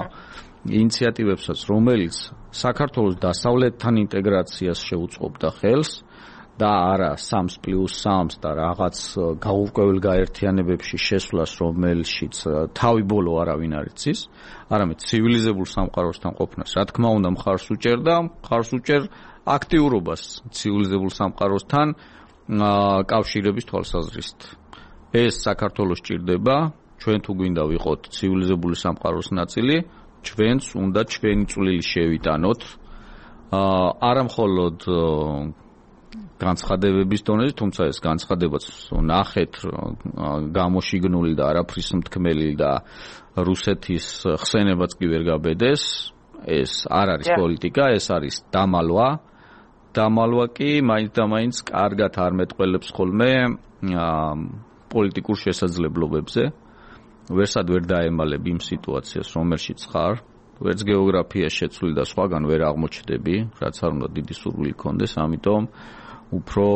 Speaker 2: ინიციატივებსაც, რომელიც საქართველოს დასავლეთთან ინტეგრაციას შეუწყობდა ხელს. და არა სამს პლუს სამს და რაღაც გაურკვეველ გაერთიანებებში შესვლას, რომელშიც თავი ბოლო არავინ არ იცის, არამედ ცივილიზებულ სამყაროსთან ყოფნას. რა თქმა უნდა, მხარს უჭერ და მხარს უჭერ აქტიურობას ცივილიზებულ სამყაროსთან კავშირების თვალსაზრისით. ეს საქართველოს ჭირდება, ჩვენ თუ გვინდა ვიყოთ ცივილიზებული სამყაროს ნაწილი, ჩვენც უნდა ჩვენი წვლილი შევიტანოთ. არა მხოლოდ განცხადებების დონეზე, თუმცა ეს განცხადებაც ნახეთ გამოშიგნული და არაფრის მთქმელი და რუსეთის ხსენებაც კი ვერ გაბედეს. ეს არ არის პოლიტიკა, ეს არის დამალვა. დამალვა კი მაინც და მაინც კარგად არ მეტყველებს ხოლმე პოლიტიკურ შესაძლებლობებზე. ვერსად ვერ დაემალებ იმ სიტუაციას, რომელშიც ხარ. ვერც გეოგრაფია შეცვლი და სხვაგან ვერ აღმოჩნდები, რაც არ უნდა დიდი სურვილი გქონდეს, ამიტომ უფრო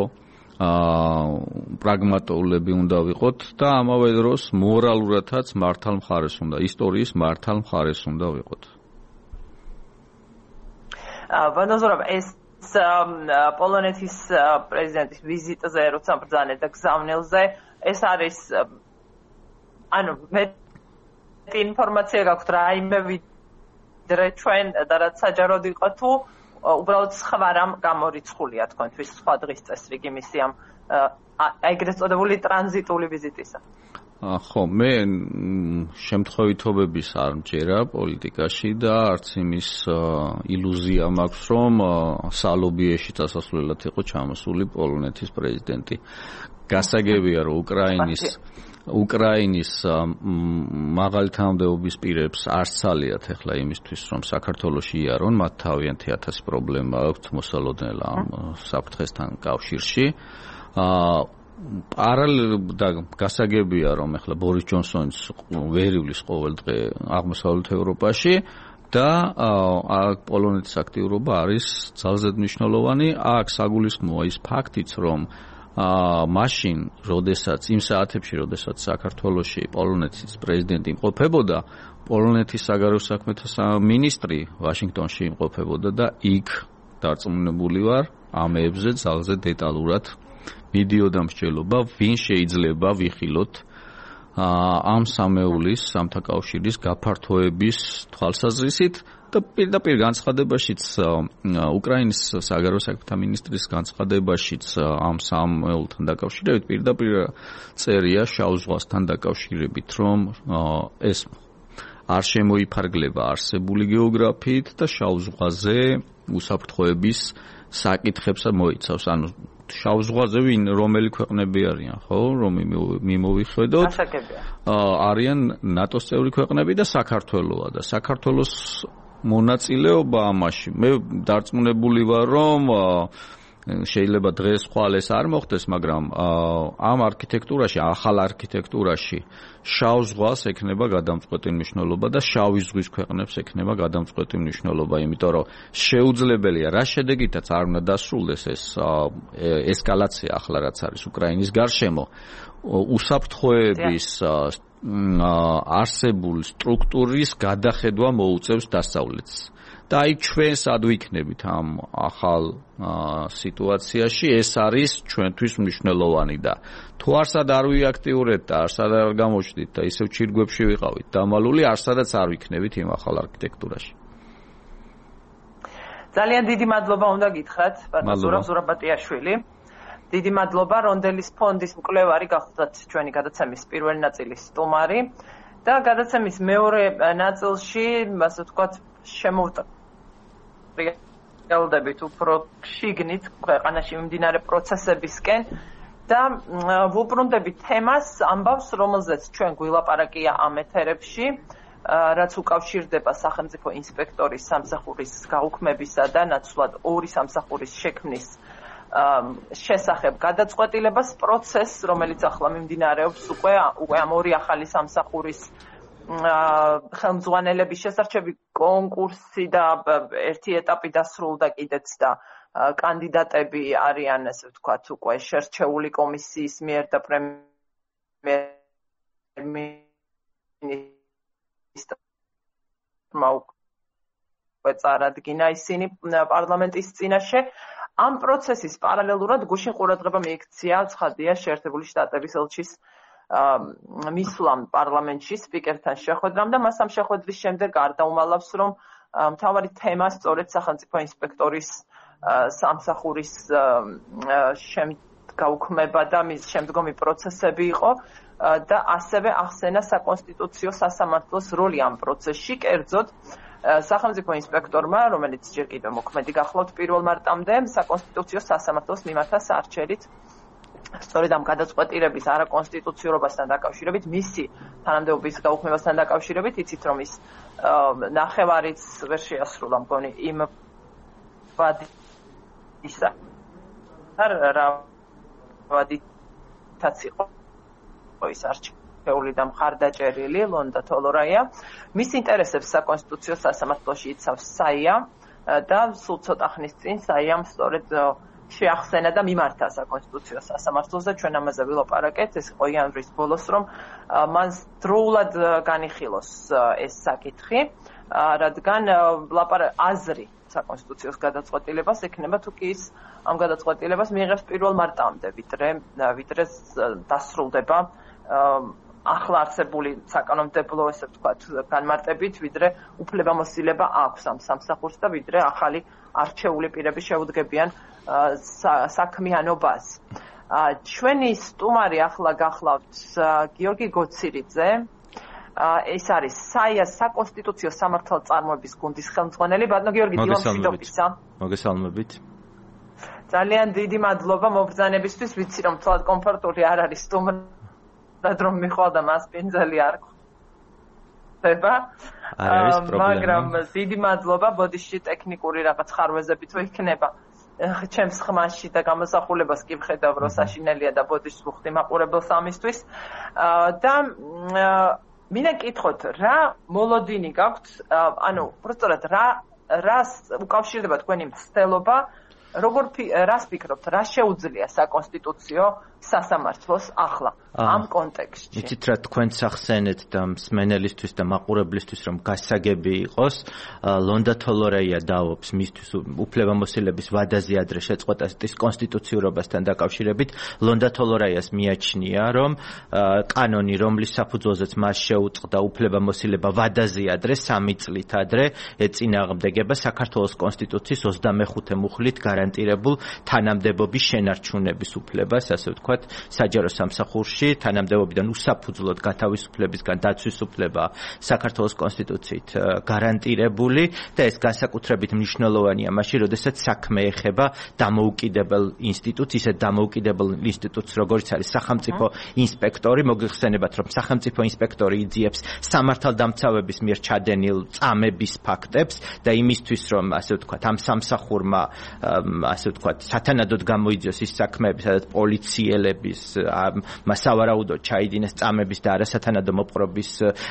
Speaker 2: პრაგმატულები უნდა ვიყოთ და ამავე დროს მორალურადაც მართალ მხარეს უნდა, ისტორიის მართალ მხარეს უნდა ვიყოთ.
Speaker 1: ვანაზორов, ეს პოლონეთის პრეზიდენტის ვიზიტზე, როცა ბრძანეთ და გზავნილზე, ეს არის ანუ მე ინფორმაცია გაქვთ რა იმე ვიდრე ჩვენ და რაც საჯაროდ იყო თუ უბრალოდ სხვა რამ გამორიცხულია თქვენთვის სხვა დღის წესრიგი მისი ამ ეგრეთ წოდებული ტრანზიტული ვიზიტისა.
Speaker 2: ხო, მე შემთხვევითობების არ მჯერა პოლიტიკაში და არც იმის ილუზია მაქვს, რომ სალობიეში წასასვლელად იყო ჩამოსული პოლონეთის პრეზიდენტი. გასაგებია, რომ უკრაინის უკრაინის მაღალი თანამდებობის პირებს არ ცალიათ ახლა იმისთვის, რომ საქართველოში იარონ, მათ თავიანთი ათასი პრობლემა აქვთ მოსალოდნელ ამ საფრთხესთან კავშირში. პარალელურად და გასაგებია, რომ ახლა ბორის ჯონსონის ვერ ივლის ყოველ დღე აღმოსავლეთ ევროპაში და აქ პოლონეთის აქტიურობა არის ძალზედ მნიშვნელოვანი. აქ საგულისხმოა ის ფაქტიც, რომ მაშინ, როდესაც იმ საათებში, როდესაც საქართველოში პოლონეთის პრეზიდენტი იმყოფებოდა, პოლონეთის საგარეო საქმეთა მინისტრი ვაშინგტონში იმყოფებოდა და იქ დარწმუნებული ვარ, ამებზე ძალზე დეტალურად მიდიოდა მსჯელობა, ვინ შეიძლება ვიხილოთ ამ სამეულის, სამთა კავშირის გაფართოების თვალსაზრისით და პირდაპირ განცხადებაშიც უკრაინის საგარეო საქმეთა მინისტრის განცხადებაშიც ამ სამეულთან დაკავშირებით პირდაპირ წერია შავ ზღვასთან დაკავშირებით, რომ ეს არ შემოიფარგლება არსებული გეოგრაფიით და შავ ზღვაზე უსაფრთხოების საკითხებს მოიცავს. ანუ შავ ზღვაზე ვინ რომელი ქვეყნები არიან, ხო, რომ მიმოვიხედოთ, არიან ნატოს წევრი ქვეყნები და საქართველოა და საქართველოს მონაწილეობა ამაში. მე დარწმუნებული ვარ, რომ შეიძლება დღეს ხვალ ეს არ მოხდეს, მაგრამ ამ არქიტექტურაში, ახალ არქიტექტურაში შავ ზღვას ექნება გადამწყვეტი მნიშვნელობა და შავი ზღვის ქვეყნებს ექნება გადამწყვეტი მნიშვნელობა, იმიტომ რომ შეუძლებელია რა შედეგითაც არ უნდა დასრულდეს ეს ესკალაცია ახლა რაც არის უკრაინის გარშემო, უსაფრთხოების არსებულ სტრუქტურის გადახედვა მოუწევს დასავლეთს. და აი ჩვენ სად ვიქნებით ამ ახალ სიტუაციაში, ეს არის ჩვენთვის მნიშვნელოვანი და თუ არსად არ ვიაქტიურებთ და არსად არ გამოჩდით და ისევ ჩირგვებში ვიყავით დამალული, არსადაც არ ვიქნებით იმ ახალ არქიტექტურაში.
Speaker 1: ძალიან დიდი მადლობა უნდა გითხრათ, ბატონო ზურაბატიაშვილი. დიდი მადლობა რონდელის ფონდის მკვლევარი გახლდათ ჩვენი გადაცემის პირველი ნაწილის სტუმარი და გადაცემის მეორე ნაწილში, ასე ვთქვათ, შემოვტ რეალდებით უფრო შიგნით ქვეყანაში მიმდინარე პროცესებისკენ და ვუბრუნდებით თემას ამბავს, რომელზეც ჩვენ გვილაპარაკია ამ ეთერებში, რაც უკავშირდება სახელმწიფო ინსპექტორის სამსახურის გაუქმებისა და ნაცვლად ორი სამსახურის შექმნის შესახებ გადაწყვეტილებას პროცესს, რომელიც ახლა მიმდინარეობს უკვე უკვე ამ ორი ახალი სამსახურის ხელმძღვანელების შესარჩევი კონკურსი და ერთი ეტაპი დასრულდა კიდეც და კანდიდატები არიან, ასე ვთქვათ, უკვე შერჩეული კომისიის მიერ და პრემიერ-მინისტრმა უკვე წარადგინა ისინი პარლამენტის წინაშე. ამ პროცესის პარალელურად გუშინ ყურადღება მიექცია ცხადია შეერთებული შტატების ელჩის მისვლამ პარლამენტში სპიკერთან შეხვედრამ და მას ამ შეხვედრის შემდეგ არ დაუმალავს, რომ მთავარი თემა სწორედ სახელმწიფო ინსპექტორის სამსახურის გაუქმება და მის შემდგომი პროცესები იყო და ასევე ახსენა საკონსტიტუციო სასამართლოს როლი ამ პროცესში, კერძოდ სახელმწიფო ინსპექტორმა, რომელიც ჯერ კიდევ მოქმედი გახლავთ პირველ მარტამდე, საკონსტიტუციო სასამართლოს მიმართა საარჩევნით სწორედ ამ გადაწყვეტილების არაკონსტიტუციურობასთან დაკავშირებით, მისი თანამდებობის გაუქმებასთან დაკავშირებით, იცით რომ ის ნახევარიც ვერ შეასრულა მგონი იმ ვადისა რა ვადითაც იყო ის არჩეული და მხარდაჭერილი ლონდა თოლორაია. მის ინტერესებს საკონსტიტუციო სასამართლოში იცავს საია და სულ ცოტა ხნის წინ საიამ სწორედ შეახსენა და მიმართა საკონსტიტუციო სასამართლოს და ჩვენ ამაზე ვილაპარაკეთ, ეს იყო იანვრის ბოლოს, რომ მან დროულად განიხილოს ეს საკითხი, რადგან აზრი საკონსტიტუციოს გადაწყვეტილებას ექნება თუ კი ის ამ გადაწყვეტილებას მიიღებს პირველ მარტამდე, ვიდრე ვიდრე დასრულდება ახლა არსებული საკანონმდებლო, ესე ვთქვათ, განმარტებით, ვიდრე უფლებამოსილება აქვს ამ სამსახურს და ვიდრე ახალი არჩეული პირები შეუდგებიან საქმიანობას. ჩვენი სტუმარი ახლა გახლავთ გიორგი გოცირიძე, ეს არის საიას საკონსტიტუციო სამართალწარმოების გუნდის ხელმძღვანელი. ბატონო გიორგი, დილამშვიდობისა.
Speaker 5: მოგესალმებით.
Speaker 1: ძალიან დიდი მადლობა მობრძანებისთვის, ვიცი რომ თვალ კომფორტული არ არის სტუმრად რომ მიხვალ და მას პინძელი არ ხდება. მაგრამ დიდი მადლობა, ბოდიში ტექნიკური რაღაც ხარვეზები თუ იქნება ჩემს ხმაში და გამოსახულებას კი ვხედავ, რომ საშინელია და ბოდიშს ვუხდი მაყურებელს ამისთვის. და მინდა გკითხოთ, რა მოლოდინი გაქვთ, ანუ პროსტორად რა რას უკავშირდება თქვენი მცდელობა, როგორ რას ფიქრობთ, რა შეუძლია საკონსტიტუციო სასამართლოს ახლა ამ კონტექსტში?
Speaker 5: იცით რა თქვენც ახსენეთ და მსმენელისთვის და მაყურებლისთვის რომ გასაგები იყოს, ლონდა თოლორეია დაობს მისთვის უფლებამოსილების ვადაზე ადრე შეწყვეტას კონსტიტუციურობასთან დაკავშირებით. ლონდა თოლორეას მიაჩნია, რომ კანონი, რომლის საფუძველზეც მას შეუწყდა უფლებამოსილება ვადაზე ადრე, სამი წლით ადრე ეწინააღმდეგება საქართველოს კონსტიტუციის ოცდამეხუთე მუხლით გარანტირებულ თანამდებობის შენარჩუნების უფლებას, ასე ვთქვათ, საჯარო სამსახურში თანამდებობიდან უსაფუძვლოდ გათავისუფლებისგან დაცვის უფლება საქართველოს კონსტიტუციით გარანტირებული და ეს განსაკუთრებით მნიშვნელოვანია მაშინ, როდესაც საქმე ეხება დამოუკიდებელ ინსტიტუტს, ისეთ დამოუკიდებელ ინსტიტუტს, როგორც არის სახელმწიფო ინსპექტორი. მოგიხსენებათ, რომ სახელმწიფო ინსპექტორი იძიებს სამართალდამცავების მიერ ჩადენილ წამების ფაქტებს და იმისთვის, რომ ასე ვთქვათ, ამ სამსახურმა ასე ვთქვათ, სათანადოდ გამოიძიოს ის საქმეები, სადაც პოლიციელების მასავარაუდოდ ჩაიდინეს წამების და არასათანადო მოპყრობის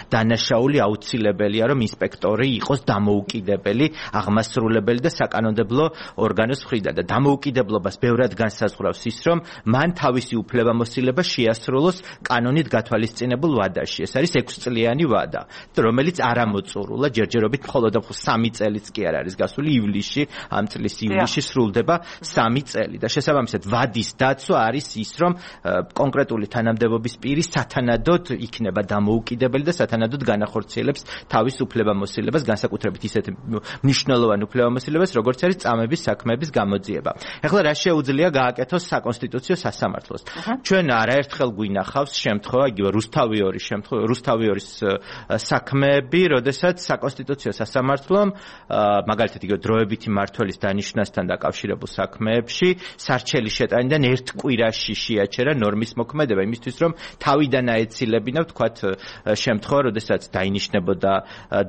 Speaker 5: დანაშაული, აუცილებელია, რომ ინსპექტორი იყოს დამოუკიდებელი, აღმასრულებელი და საკანონმდებლო ორგანოს მხრიდან და დამოუკიდებლობას ბევრად განსაზღვრავს ის, რომ მან თავისი უფლებამოსილება შეასრულოს კანონით გათვალისწინებულ ვადაში. ეს არის ექვსწლიანი ვადა, რომელიც არ ამოწურულა ჯერჯერობით მხოლოდ სამი წელიც კი არ არის გასული ივლისში, ამ წლის ივლისში სრულდება სამი წელი და შესაბამისად ვადის დაცვა არის ის, რომ კონკრეტული თანამდებობის პირი სათანადოდ იქნება დამოუკიდებელი და სათანადოდ განახორციელებს თავის უფლებამოსილებას, განსაკუთრებით ისეთ მნიშვნელოვან უფლებამოსილებას, როგორც არის წამების საქმეების გამოძიება. ეხლა რა შეუძლია გააკეთოს საკონსტიტუციო სასამართლოს? ჩვენ არაერთხელ გვინახავს შემთხვევა, იგივე რუსთავიორის შემთხვევა, რუსთავიორის საქმეები, როდესაც საკონსტიტუციო სასამართლომ მაგალითად იგივე დროებითი მმართველის დანიშვნასთან დაკავშირებულ საქმეებში სარჩელი შეტანიდან ერთ კვირაში შეაჩერა ნორმის მოქმედება იმისთვის, რომ თავიდან აეცილებინა, ვთქვათ, შემთხვევა, როდესაც დაინიშნებოდა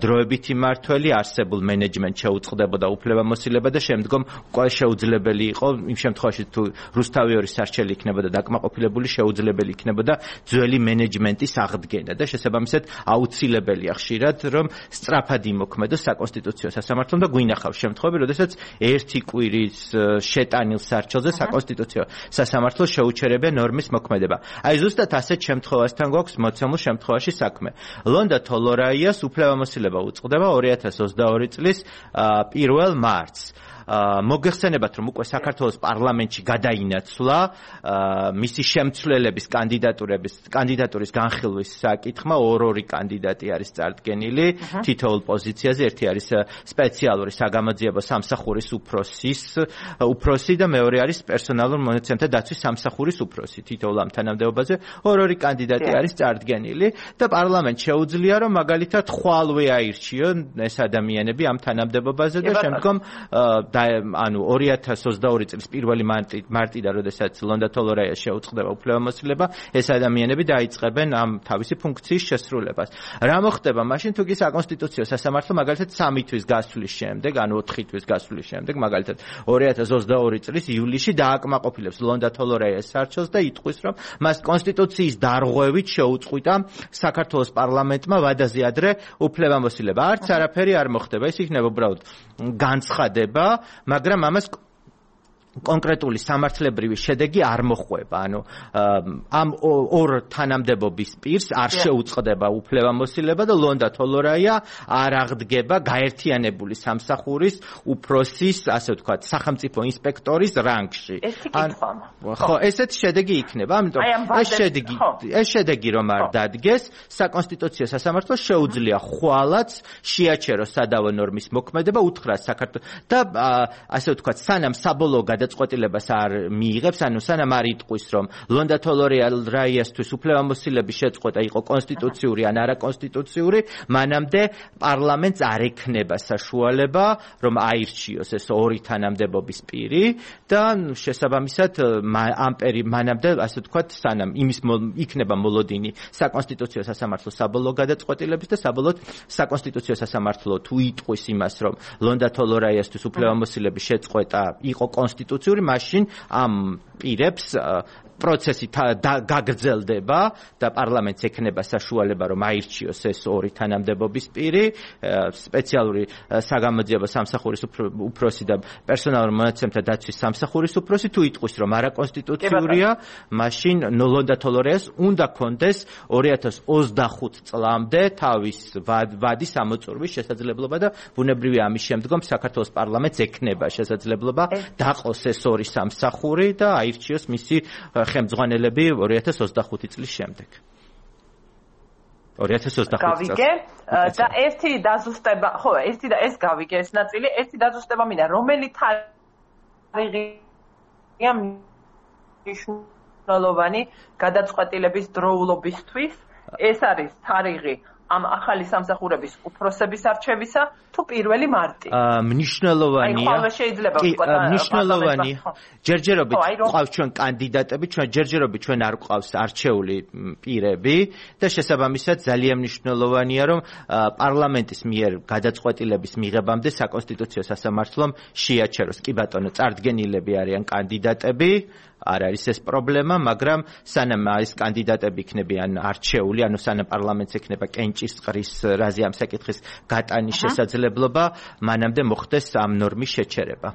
Speaker 5: დროებითი მმართველი, არსებულ მენეჯმენტს შეუწყდებოდა უფლებამოსილება და შემდგომ უკვე შეუძლებელი იყო იმ შემთხვევაში თუ რუსთავიორის სარჩელი იქნებოდა დაკმაყოფილებული, შეუძლებელი იქნებოდა ძველი მენეჯმენტის აღდგენა და შესაბამისად აუცილებელია ხშირად, რომ სწრაფად იმოქმედოს საკონსტიტუციო სასამართლომ და გვინახავს შემთხვევები, როდესაც ერთი კვირის შეტანილ სარჩელზე საკონსტიტუციო სასამართლო შეუჩერებია ნორმის მოქმედება. აი ზუსტად ასეთ შემთხვევასთან გვაქვს მოცემულ შემთხვევაში საქმე. ლონდა თოლორაიას უფლებამოსილება უწყდება ორი ათას ოცდაორი წლის პირველ მარტს. მოგეხსენებათ, რომ უკვე საქართველოს პარლამენტში გადაინაცვლა მისი შემცვლელების კანდიდატურების კანდიდატურის განხილვის საკითხმა, ორ-ორი კანდიდატი არის წარდგენილი თითოეულ პოზიციაზე, ერთი არის სპეციალური საგამოძიებო სამსახურის უფროსის უფროსი და მეორე არის პერსონალურ მონაცემთა დაცვის სამსახურის უფროსი. თითოეულ ამ თანამდებობაზე ორ-ორი კანდიდატი არის წარდგენილი და პარლამენტ შეუძლია, რომ მაგალითად ხვალვე აირჩიონ ეს ადამიანები ამ თანამდებობაზე და შემდგომ ანუ ორი ათას ოცდაორი წლის პირველი მარტიდან, როდესაც ლონდა თოლორაიას შეუწყდება უფლებამოსილება, ეს ადამიანები დაიწყებენ ამ თავისი ფუნქციის შესრულებას. რა მოხდება მაშინ, თუ კი საკონსტიტუციო სასამართლო მაგალითად სამი თვის გასვლის შემდეგ, ანუ ოთხი თვის გასვლის შემდეგ, მაგალითად ორი ათას ოცდაორი წლის ივლისში დააკმაყოფილებს ლონდა თოლორაიას სარჩელს და იტყვის, რომ მას კონსტიტუციის დარღვევით შეუწყვიტა საქართველოს პარლამენტმა ვადაზე ადრე უფლებამოსილება. არც არაფერი არ მოხდება, ეს იქნება უბრალოდ განცხადება, მაგრამ ამას კონკრეტული სამართლებრივი შედეგი არ მოხვება. ანუ ამ ორ თანამდებობის პირს არ შეუწყდება უფლებამოსილება და ლონდა თოლორაია არ აღდგება გაერთიანებული სამსახურის უფროსის, ასე ვთქვათ, სახელმწიფო ინსპექტორის რანგში. ხო, ესეთ შედეგი იქნება. ამიტომ ეს შედეგი ეს შედეგი რომ არ დადგეს, საკონსტიტუციო სასამართლო შეუძლია ხვალაც შეაჩეროს სადავო ნორმის მოქმედება, უთხრას საქართველოს და ასე ვთქვათ, სანამ საბოლოო გადაწყვეტილებას არ მიიღებს, ანუ სანამ არ იტყვის, რომ ლონდა თოლორაიასთვის უფლებამოსილების შეწყვეტა იყო კონსტიტუციური ან არაკონსტიტუციური, მანამდე პარლამენტს არ ექნება საშუალება, რომ აირჩიოს ეს ორი თანამდებობის პირი და შესაბამისად ამ პერი მანამდე, ასე ვთქვათ, სანამ იმის იქნება მოლოდინი საკონსტიტუციო სასამართლოს საბოლოო გადაწყვეტილების და საბოლოოდ საკონსტიტუციო სასამართლო თუ იტყვის იმას, რომ ლონდა თოლორაიასთვის უფლებამოსილების შეწყვეტა იყო კონსტიტუციური, მაშინ ამ პირებს პროცესი გაგრძელდება და პარლამენტს ექნება საშუალება, რომ აირჩიოს ეს ორი თანამდებობის პირი, სპეციალური საგამოძიებო სამსახურის უფროსი და პერსონალურ მონაცემთა დაცვის სამსახურის უფროსი, თუ იტყვის, რომ არაკონსტიტუციურია, მაშინ ლონდა თოლორაიას უნდა კონდეს ორი ათას ოცდახუთ წლამდე თავის ვადის ამოწურვის შესაძლებლობა და ბუნებრივია ამის შემდგომ საქართველოს პარლამენტს ექნება შესაძლებლობა დაყოს ეს ორი სამსახური და აირჩიოს მისი ხელმძღვანელები ორი ათას ოცდახუთი წლის შემდეგ. ორი ათას ოცდახუთი წელს.
Speaker 1: გავიგე და ერთი დაზუსტება, ხო, ერთი და ეს გავიგე ეს ნაწილი, ერთი დაზუსტება მინდა, რომელი თარიღია მნიშვნელოვანი გადაწყვეტილების დროულობისთვის? ეს არის თარიღი ამ ახალი სამსახურების უფროსების არჩევისა თუ პირველი მარტი?
Speaker 5: აა მნიშვნელოვანია.
Speaker 1: აი ხოლმე შეიძლება
Speaker 5: ვთქვა მნიშვნელოვანია. ჯერჯერობით ყავს ჩვენ კანდიდატები, ჩვენ ჯერჯერობით ჩვენ არ ყავს არჩეული პირები და შესაბამისად ძალიან მნიშვნელოვანია რომ პარლამენტის მიერ გადაწყვეტილების მიღებამდე საკონსტიტუციო სასამართლომ შეაჩეროს. კი ბატონო, წარდგენილები არიან კანდიდატები. არ არის ეს პრობლემა, მაგრამ სანამ არის კანდიდატები იქნებიან არჩეული, ანუ სანამ პარლამენტს ექნება კენჭისყრის რაზე ამ საკითხის გატანის შესაძლებლობა, მანამდე მოხდეს ამ ნორმის შეჩერება.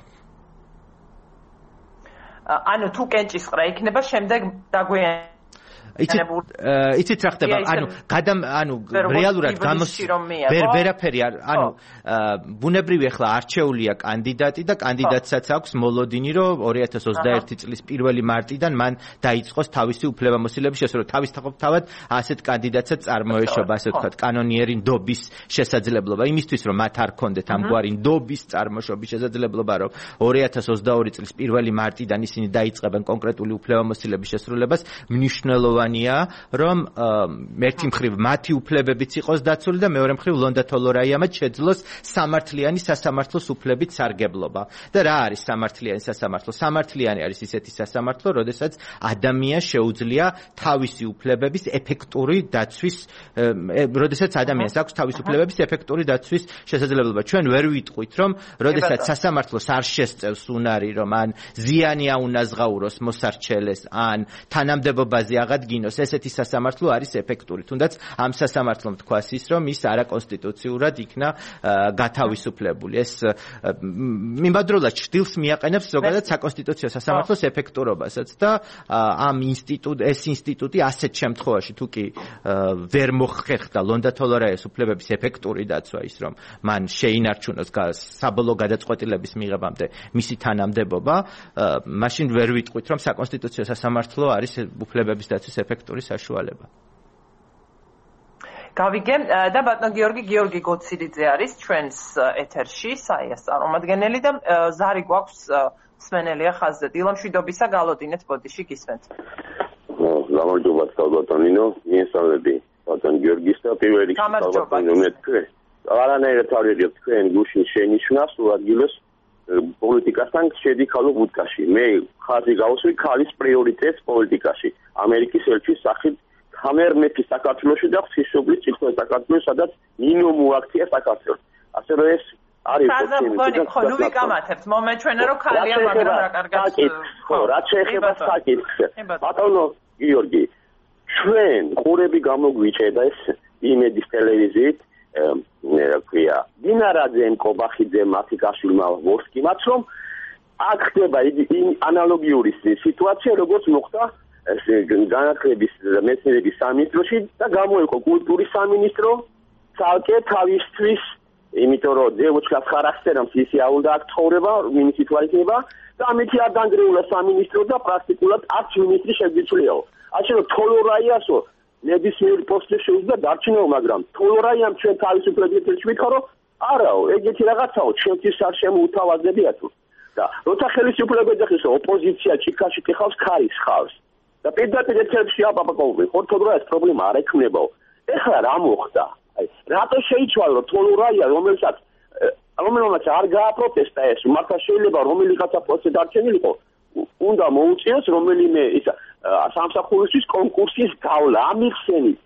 Speaker 1: ანუ თუ კენჭისყრა იქნება, შემდეგ დაგვიანება
Speaker 5: იცით იცით რა ხდება ანუ გადამ ანუ რეალურად გამოს ვერ ვერაფერი ანუ ბუნებრივი ახლა არჩეულია კანდიდატი და კანდიდატსაც აქვს მოლოდინი რომ ორი ათას ოცდაერთი წლის პირველი მარტიდან მან დაიწყოს თავისი უფლებამოსილების შესრულება თავისთავად თავად ასეთ კანდიდატსაც წარმოეშობა ასე ვთქვათ კანონიერი ნდობის შესაძლებლობა იმისთვის რომ მათ არ ქონდეთ ამგვარი ნდობის წარმოშობის შესაძლებლობა რომ ორი ათას ოცდაორი წლის პირველი მარტიდან ისინი დაიწყებენ კონკრეტული უფლებამოსილების შესრულებას მნიშვნელოვანია რომ ერთი მხრივ მათი უფლებებიც იყოს დაცული და მეორე მხრივ ლონდა თოლორაიამაც შეძლოს სამართლიანი სასამართლოს უფლებით სარგებლობა. და რა არის სამართლიანი სასამართლო? სამართლიანი არის ისეთი სასამართლო, როდესაც ადამიანს შეუძლია თავისი უფლებების ეფექტური დაცვის, როდესაც ადამიანს აქვს თავისი უფლებების ეფექტური დაცვის შესაძლებლობა. ჩვენ ვერ ვიტყვით, რომ როდესაც სასამართლოს არ შესწევს უნარი, რომ ან ზიანი აუნაზღაუროს მოსარჩელეს, ან თანამდებობაზე აღადგინოს ესეთი სასამართლო არის ეფექტური. თუნდაც ამ სასამართლომ თქვას ის, რომ ის არაკონსტიტუციურად იქნა გათავისუფლებული. ეს მიმდევრულად ჭდილს მიაყენებს ზოგადად საკონსტიტუციო სასამართლოს ეფექტურობასაც და ამ ინსტიტუტ ეს ინსტიტუტი ასეთ შემთხვევაში თუ კი ვერ მოხერხდა ლონდა თოლორაიას უფლებების ეფექტური დაცვა ის, რომ მან შეინარჩუნოს საბოლოო გადაწყვეტილების მიღებამდე მისი თანამდებობა, მაშინ ვერ ვიტყვით, რომ საკონსტიტუციო სასამართლო არის უფლებების დაცვის ეფექტური საშუალება.
Speaker 1: გავიგე და ბატონ გიორგი გიორგი გოცირიძე არის ჩვენს ეთერში, საიას წარმომადგენელი და ზარი გვაქვს მსმენელია ხაზზე. დილამშვიდობისა, გალოდინეთ ბოდიში გისმენთ.
Speaker 6: გამარჯობა ბატონინო, მიესალმები ბატონ გიორგის და პირველ რიგში ბატონინო მეთქე. არანაირად არ ვიღებ თქვენ გუშინ შენიშნა სულ ადგილას პოლიტიკასთან შედი ხალო ბუდკაში. მე ხაზი გავუსვი ქალის პრიორიტეტს პოლიტიკაში. ამერიკის ელჩის სახით ჰამერ მეფი საქართველოში და ღვთისმშობლის წითელ საქართველოს, სადაც ნინო მოაქცია საქართველოს. ასე რომ ეს არის
Speaker 1: პრობლემა. ხო, ნუ ვიკამათებთ. მომენტ ჩვენა რომ ქალია, მაგრამ რა კარგად.
Speaker 6: ხო, რა შეეხება საკითხს. ბატონო გიორგი, ჩვენ ყურები გამოგვიჭედა ეს იმედის ტელევიზიით ქვია დინარაძემ კობახიძემ მათიკაშვილმა ვორსკიმაც რომ აქ ხდება ანალოგიური სიტუაცია როგორც მოხდა განათლების მეცნიერების სამინისტროში და გამოიყო კულტურის სამინისტრო ცალკე თავისთვის იმიტომ რომ ძევოჩკას ხარახტერამს ისი არ უნდა აქ ცხოვრება მინისტრი თუ არ იქნება და ამით არ დანგრეულა სამინისტრო და პრაქტიკულად არც მინისტრი შეგვიძლიაო ასე რომ თოლორაიასო ნებისმიერ პოსტზე შეუძლია დარჩენო, მაგრამ თოლორაიამ ჩვენ თავისუფლებას ვითხარო, არაო, ეგეთი რაღაცაო, ჩვენთვის არ შემოუთავაზებია თუ. და როცა ხელისუფლება ეხება ოპოზიცია ჭიქაში ტიხავს ქარის ხავს. და პირდაპირ ეთერში აპაპაკოვი, ხო თოლორაიას პრობლემა არ ექნებაო. ეხლა რა მოხდა? აი, რატო შეიცვალა თოლორაია, რომელსაც რომელმაც არ გააპროტესტა ეს, მართლა შეიძლება რომელიღაცა პოსტზე დარჩენილიყო, უნდა მოუწიოს რომელიმე ისა სამსახურისთვის კონკურსის გავლა ამიხსენით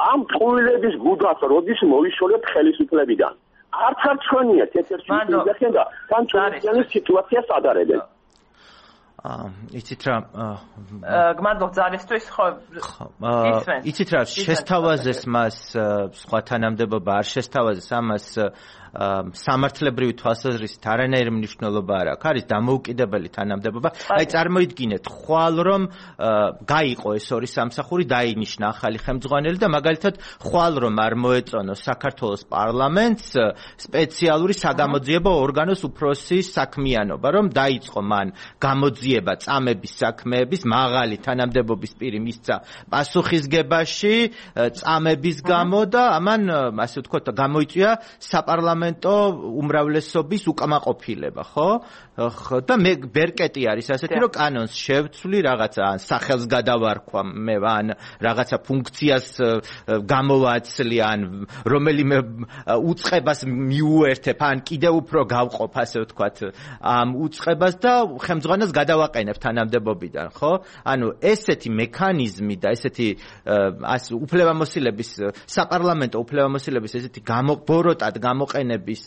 Speaker 6: ამ ტყუილების გუდას როდის მოიშორებთ ხელისუფლებიდან არც არ ჩვენია თეთერში მიდახენ და თან ჩვენი სიტუაციას ადარებენ
Speaker 5: აა იცით რა
Speaker 1: გმადლობ ძალისთვის ხო
Speaker 5: იცით რა შესთავაზეს მას სხვა თანამდებობა არ შესთავაზეს ამას სამართლებრივი თვალსაზრისით არანაირი მნიშვნელობა არ აქვს. არის დამოუკიდებელი თანამდებობა. აი წარმოიდგინეთ, ხვალ რომ გაიყო ეს ორი სამსახური, დაინიშნა ახალი ხელმძღვანელი და მაგალითად ხვალ რომ არ მოეწონოს საქართველოს პარლამენტს სპეციალური საგამოძიებო ორგანოს უფროსის საქმიანობა, რომ დაიწყო მან გამოძიება წამების საქმეების მაღალი თანამდებობის პირი მისცა პასუხისგებაში წამების გამო და ამან ასე ვთქვათ გამოიწვია საპარლამენტო უმრავლესობის უკმაყოფილება, ხო? და მე ბერკეტი არის ასეთი რომ კანონს შევცვლი რაღაცა ან სახელს გადავარქვა მე ან რაღაცა ფუნქციას გამოვაცლი ან რომელიმე უწყებას მიუერთებ ან კიდევ უფრო გავყოფ ასე ვთქვათ ამ უწყებას და ხელმძღვანელს გადავაყენებ თანამდებობიდან ხო ანუ ესეთი მექანიზმი და ესეთი ას უფლებამოსილების საპარლამენტო უფლებამოსილების ესეთი გამობოროტად გამოყენების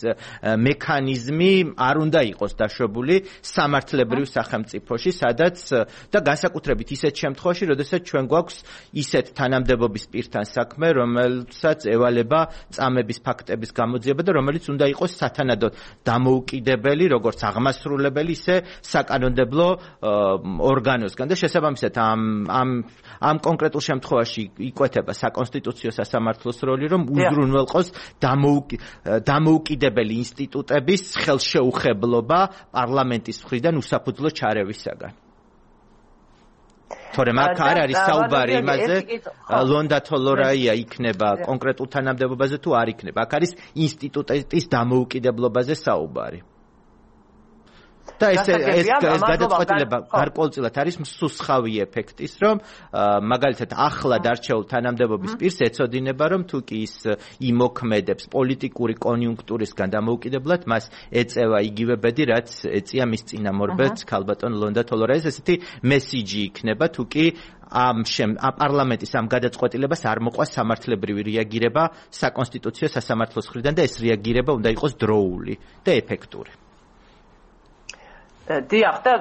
Speaker 5: მექანიზმი არ უნდა იყოს დაშვებული სამართლებრივ სახელმწიფოში სადაც და განსაკუთრებით ისეთ შემთხვევაში როდესაც ჩვენ გვაქვს ისეთ თანამდებობის პირთან საქმე რომელსაც ევალება წამების ფაქტების გამოძიება და რომელიც უნდა იყოს სათანადოდ დამოუკიდებელი როგორც აღმასრულებელი ისე საკანონმდებლო ორგანოსგან და შესაბამისად ამ ამ ამ კონკრეტულ შემთხვევაში იკვეთება საკონსტიტუციო სასამართლოს როლი რომ უზრუნველყოს დამოუკიდებელი ინსტიტუტების ხელშეუხებლობა პარლამენტის მხრიდან უსაფუძვლო ჩარევისაგან. თორემ აქ არ არის საუბარი იმაზე ლონდა თოლორაია იქნება კონკრეტულ თანამდებობაზე თუ არ იქნება. აქ არის ინსტიტუტის დამოუკიდებლობაზე საუბარი. და ეს ეს ეს გადაწყვეტილება გარკვეულწილად არის მსუსხავი ეფექტის, რომ მაგალითად ახლად არჩეულ თანამდებობის პირს ეწოდინება, რომ თუ კი ის იმოქმედებს პოლიტიკური კონიუნქტურისგან დამოუკიდებლად, მას ეწევა იგივე ბედი, რაც ეწია მის წინამორბედს ქალბატონ ლონდა თოლორაიას, ესეთი მესიჯი იქნება, თუ კი ამ შემ პარლამენტის ამ გადაწყვეტილებას არ მოყვა სამართლებრივი რეაგირება საკონსტიტუციო სასამართლოს მხრიდან და ეს რეაგირება უნდა იყოს დროული და ეფექტური.
Speaker 1: დიახ და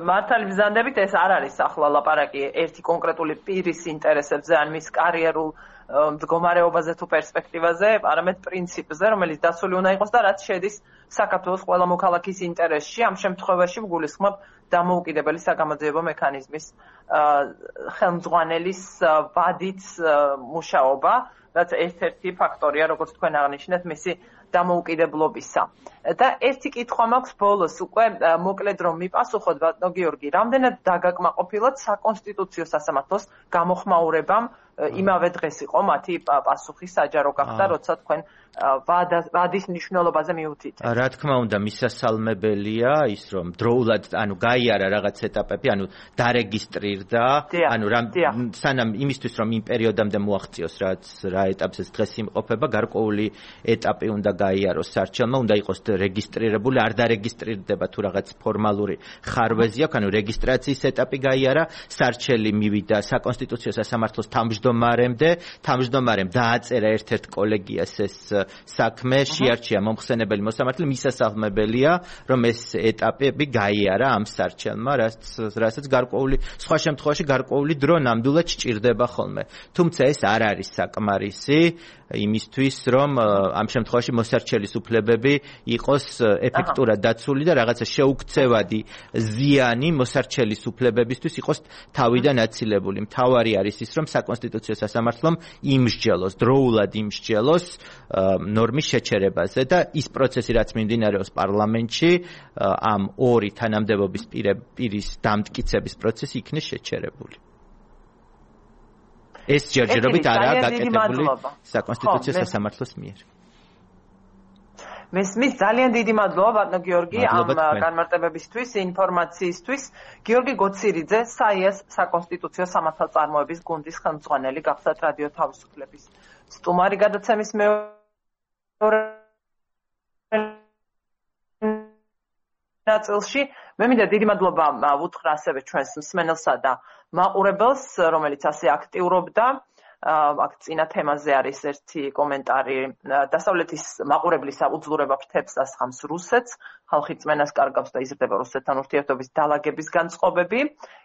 Speaker 1: მართალი ბრძანდებით ეს არ არის ახლა ლაპარაკი ერთი კონკრეტული პირის ინტერესებზე ან მის კარიერულ მდგომარეობაზე თუ პერსპექტივაზე, არამედ პრინციპზე, რომელიც დაცული უნდა იყოს და რაც შედის საქართველოს ყველა მოქალაქის ინტერესში. ამ შემთხვევაში ვგულისხმობ დამოუკიდებელი საგამოძიებო მექანიზმის ხელმძღვანელის ვადით მუშაობა, რაც ერთ-ერთი ფაქტორია, როგორც თქვენ აღნიშნეთ, მისი დამოუკიდებლობისა. და ერთი კითხვა მაქვს ბოლოს უკვე მოკლედ რომ მიპასუხოთ ბატონო გიორგი, რამდენად დაგაკმაყოფილოთ საკონსტიტუციო სასამართლოს გამოხმაურებამ იმავე დღეს იყო მათი პასუხი საჯარო გახდა, როცა თქვენ ვადის მნიშვნელობაზე მიუთით.
Speaker 5: რა თქმა უნდა, მისასალმებელია ის რომ დროულად, ანუ გაიარა რაღაც ეტაპები, ანუ დარეგისტრირდა, ანუ სანამ იმისთვის რომ იმ პერიოდამდე მოაღწიოს რაც რა ეტაპზეც დღეს იმყოფება, გარკვეული ეტაპი უნდა გაიაროს სარჩელმა, უნდა იყოს რეგისტრირებული, არ დარეგისტრირდება თუ რაღაც ფორმალური ხარვეზი აქვს, ანუ რეგისტრაციის ეტაპი გაიარა, სარჩელი მივიდა საკონსტიტუციო სასამართლოს თავმჯდომარემდე, თავმჯდომარემ დააწერა ერთ-ერთ კოლეგიას ეს საქმე, შეარჩია მომხსენებელი მოსამართლე, მისასალმებელია, რომ ეს ეტაპები გაიარა ამ სარჩელმა, რაც რასაც გარკვეული სხვა შემთხვევაში გარკვეული დრო ნამდვილად სჭირდება ხოლმე. თუმცა ეს არ არის საკმარისი იმისთვის, რომ ამ შემთხვევაში მოსარჩელის უფლებები იყოს ეფექტურად დაცული და რაღაცა შეუქცევადი ზიანი მოსარჩელის უფლებებისთვის იყოს თავიდან აცილებული. მთავარი არის ის, რომ საკონსტიტუციო სასამართლომ იმსჯელოს, დროულად იმსჯელოს ნორმის შეჩერებაზე და ის პროცესი, რაც მიმდინარეობს პარლამენტში, ამ ორი თანამდებობის პირის დამტკიცების პროცესი იქნება შეჩერებული. ეს ჯერჯერობით არაა გაკეთებული საკონსტიტუციო სასამართლოს მიერ.
Speaker 1: მესმის ძალიან დიდი მადლობა ბატონო გიორგი ამ განმარტებებისთვის, ინფორმაციისთვის. გიორგი გოცირიძე, საიას საკონსტიტუციო სამართალწარმოების გუნდის ხელმძღვანელი, გახსათ რადიო თავისუფლების სტუმარი გადაცემის მეორე ნაწილში. მე მინდა დიდი მადლობა ვუთხრა ასევე ჩვენს მსმენელსა და მაყურებელს, რომელიც ასე აქტიურობდა. აქ წინა თემაზე არის ერთი კომენტარი. დასავლეთის მაყურებლის აუძლურება ფრთებს ასხამს რუსეთს, ხალხი წმენას კარგავს და იზრდება რუსეთთან ურთიერთობის დალაგების განწყობები,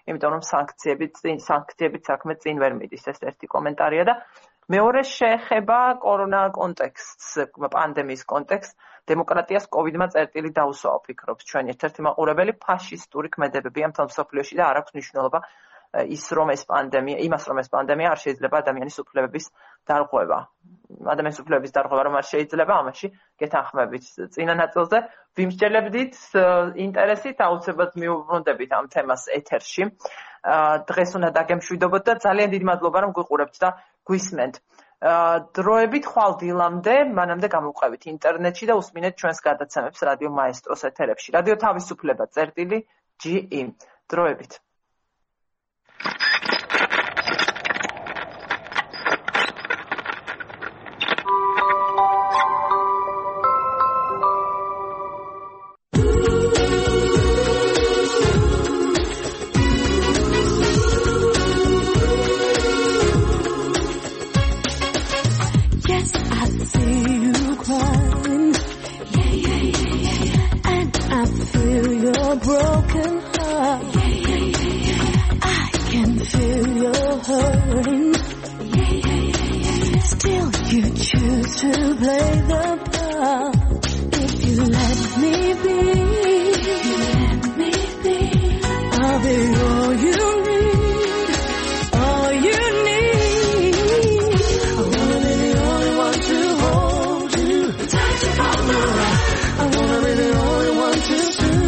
Speaker 1: იმიტომ რომ სანქციებით სანქციებით საქმე წინ ვერ მიდის. ეს ერთი კომენტარია და მეორე შეეხება კორონა კონტექსტს, პანდემიის კონტექსტს. დემოკრატიას კოვიდმა წერტილი დაუსვა, ვფიქრობ, ჩვენ ერთ-ერთი მაყურებელი ფაშისტური ქმედებებია მთელ მსოფლიოში და არ აქვს მნიშვნელობა ის რომ ეს პანდემია, იმას რომ ეს პანდემია არ შეიძლება ადამიანის უფლებების დარღვევა. ადამიანის უფლებების დარღვევა რომ არ შეიძლება, ამაში გეთანხმებით. წინა ნაწილზე ვიმსჯელებდით ინტერესით, აუცილებლად მიუბრუნდებით ამ თემას ეთერში. დღეს უნდა დაგემშვიდობოთ და ძალიან დიდი მადლობა რომ გვიყურებთ და გვისმენთ. დროებით ხვალ დილამდე, მანამდე გამოვყევით ინტერნეტში და უსმინეთ ჩვენს გადაცემებს რადიო მაესტროს ეთერებში. რადიო თავისუფლება წერტილი ჯი ი. დროებით.
Speaker 7: Broken heart. Yeah, yeah, yeah, yeah. I can feel your hurting. Yeah, yeah, yeah, yeah. Still, you choose to play the part. If you let me be, if you let me be, I'll be all you need, all you need. I wanna be the only one to hold you, touch you from the right. I wanna be the only one to soothe.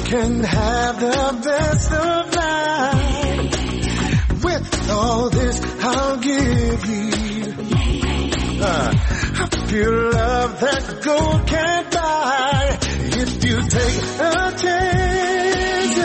Speaker 8: Can have the best of life. With all this I'll give you uh, I feel love that gold can't buy. If you take a chance,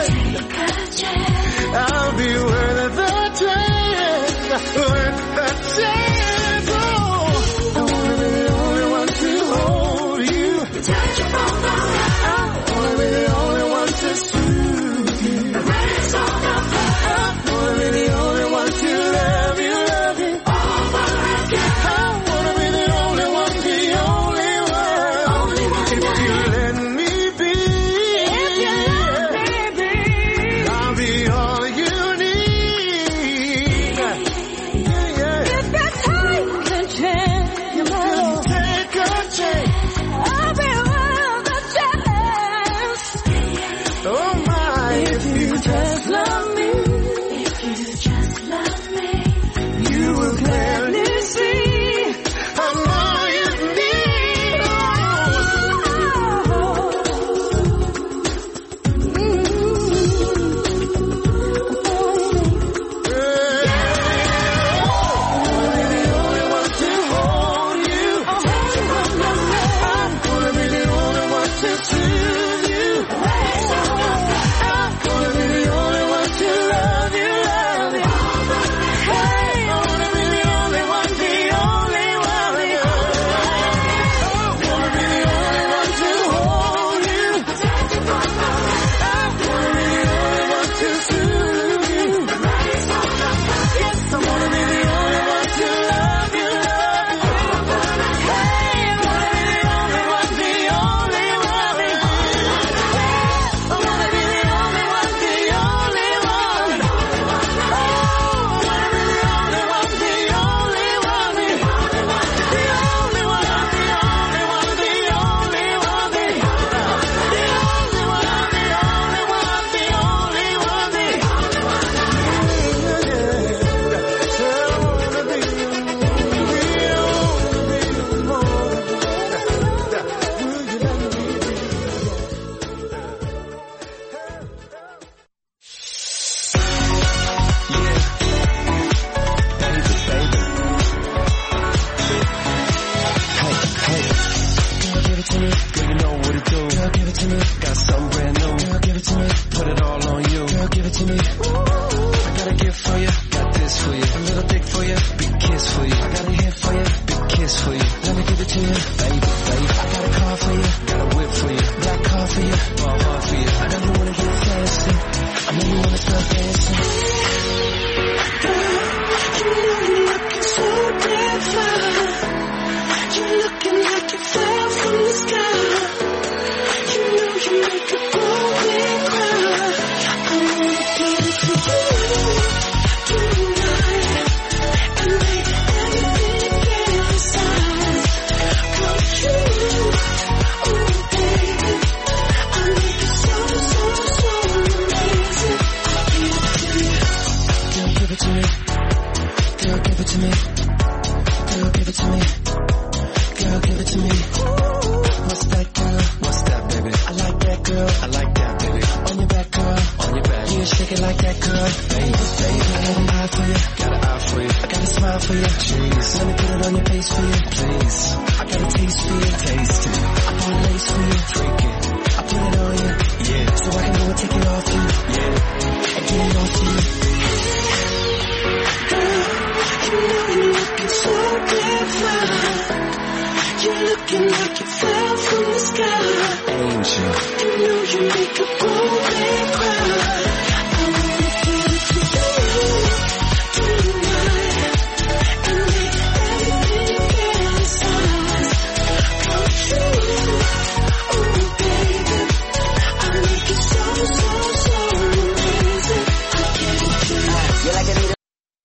Speaker 8: I'll be worth the chance, worth the chance. Oh, I wanna be the only one to hold you, touch you from the right. I wanna be the only one to soothe you. Raise all the fire. I wanna be the only one to love you, love you over again. I wanna be the only one, the only one, only
Speaker 9: Girl, give it to me. Girl, give it to me. Girl, give it to me. What's that, girl? What's that, baby? I like that, girl. I like that, baby. On your back, girl. On your back. Yeah, shake it like that, girl. Baby, baby. I got an eye for you. Got an eye for you. I got a smile for you. Jeez. Let me put it on your face for you. Please. I got a taste for you. Taste it. I bought a lace for you. Freak it. I put it on you. Yeah. So I can go and take it off you. Yeah. And get it off you. Girl, you know you're looking so clever. You're looking like you fell from the sky. Angel. You know you make a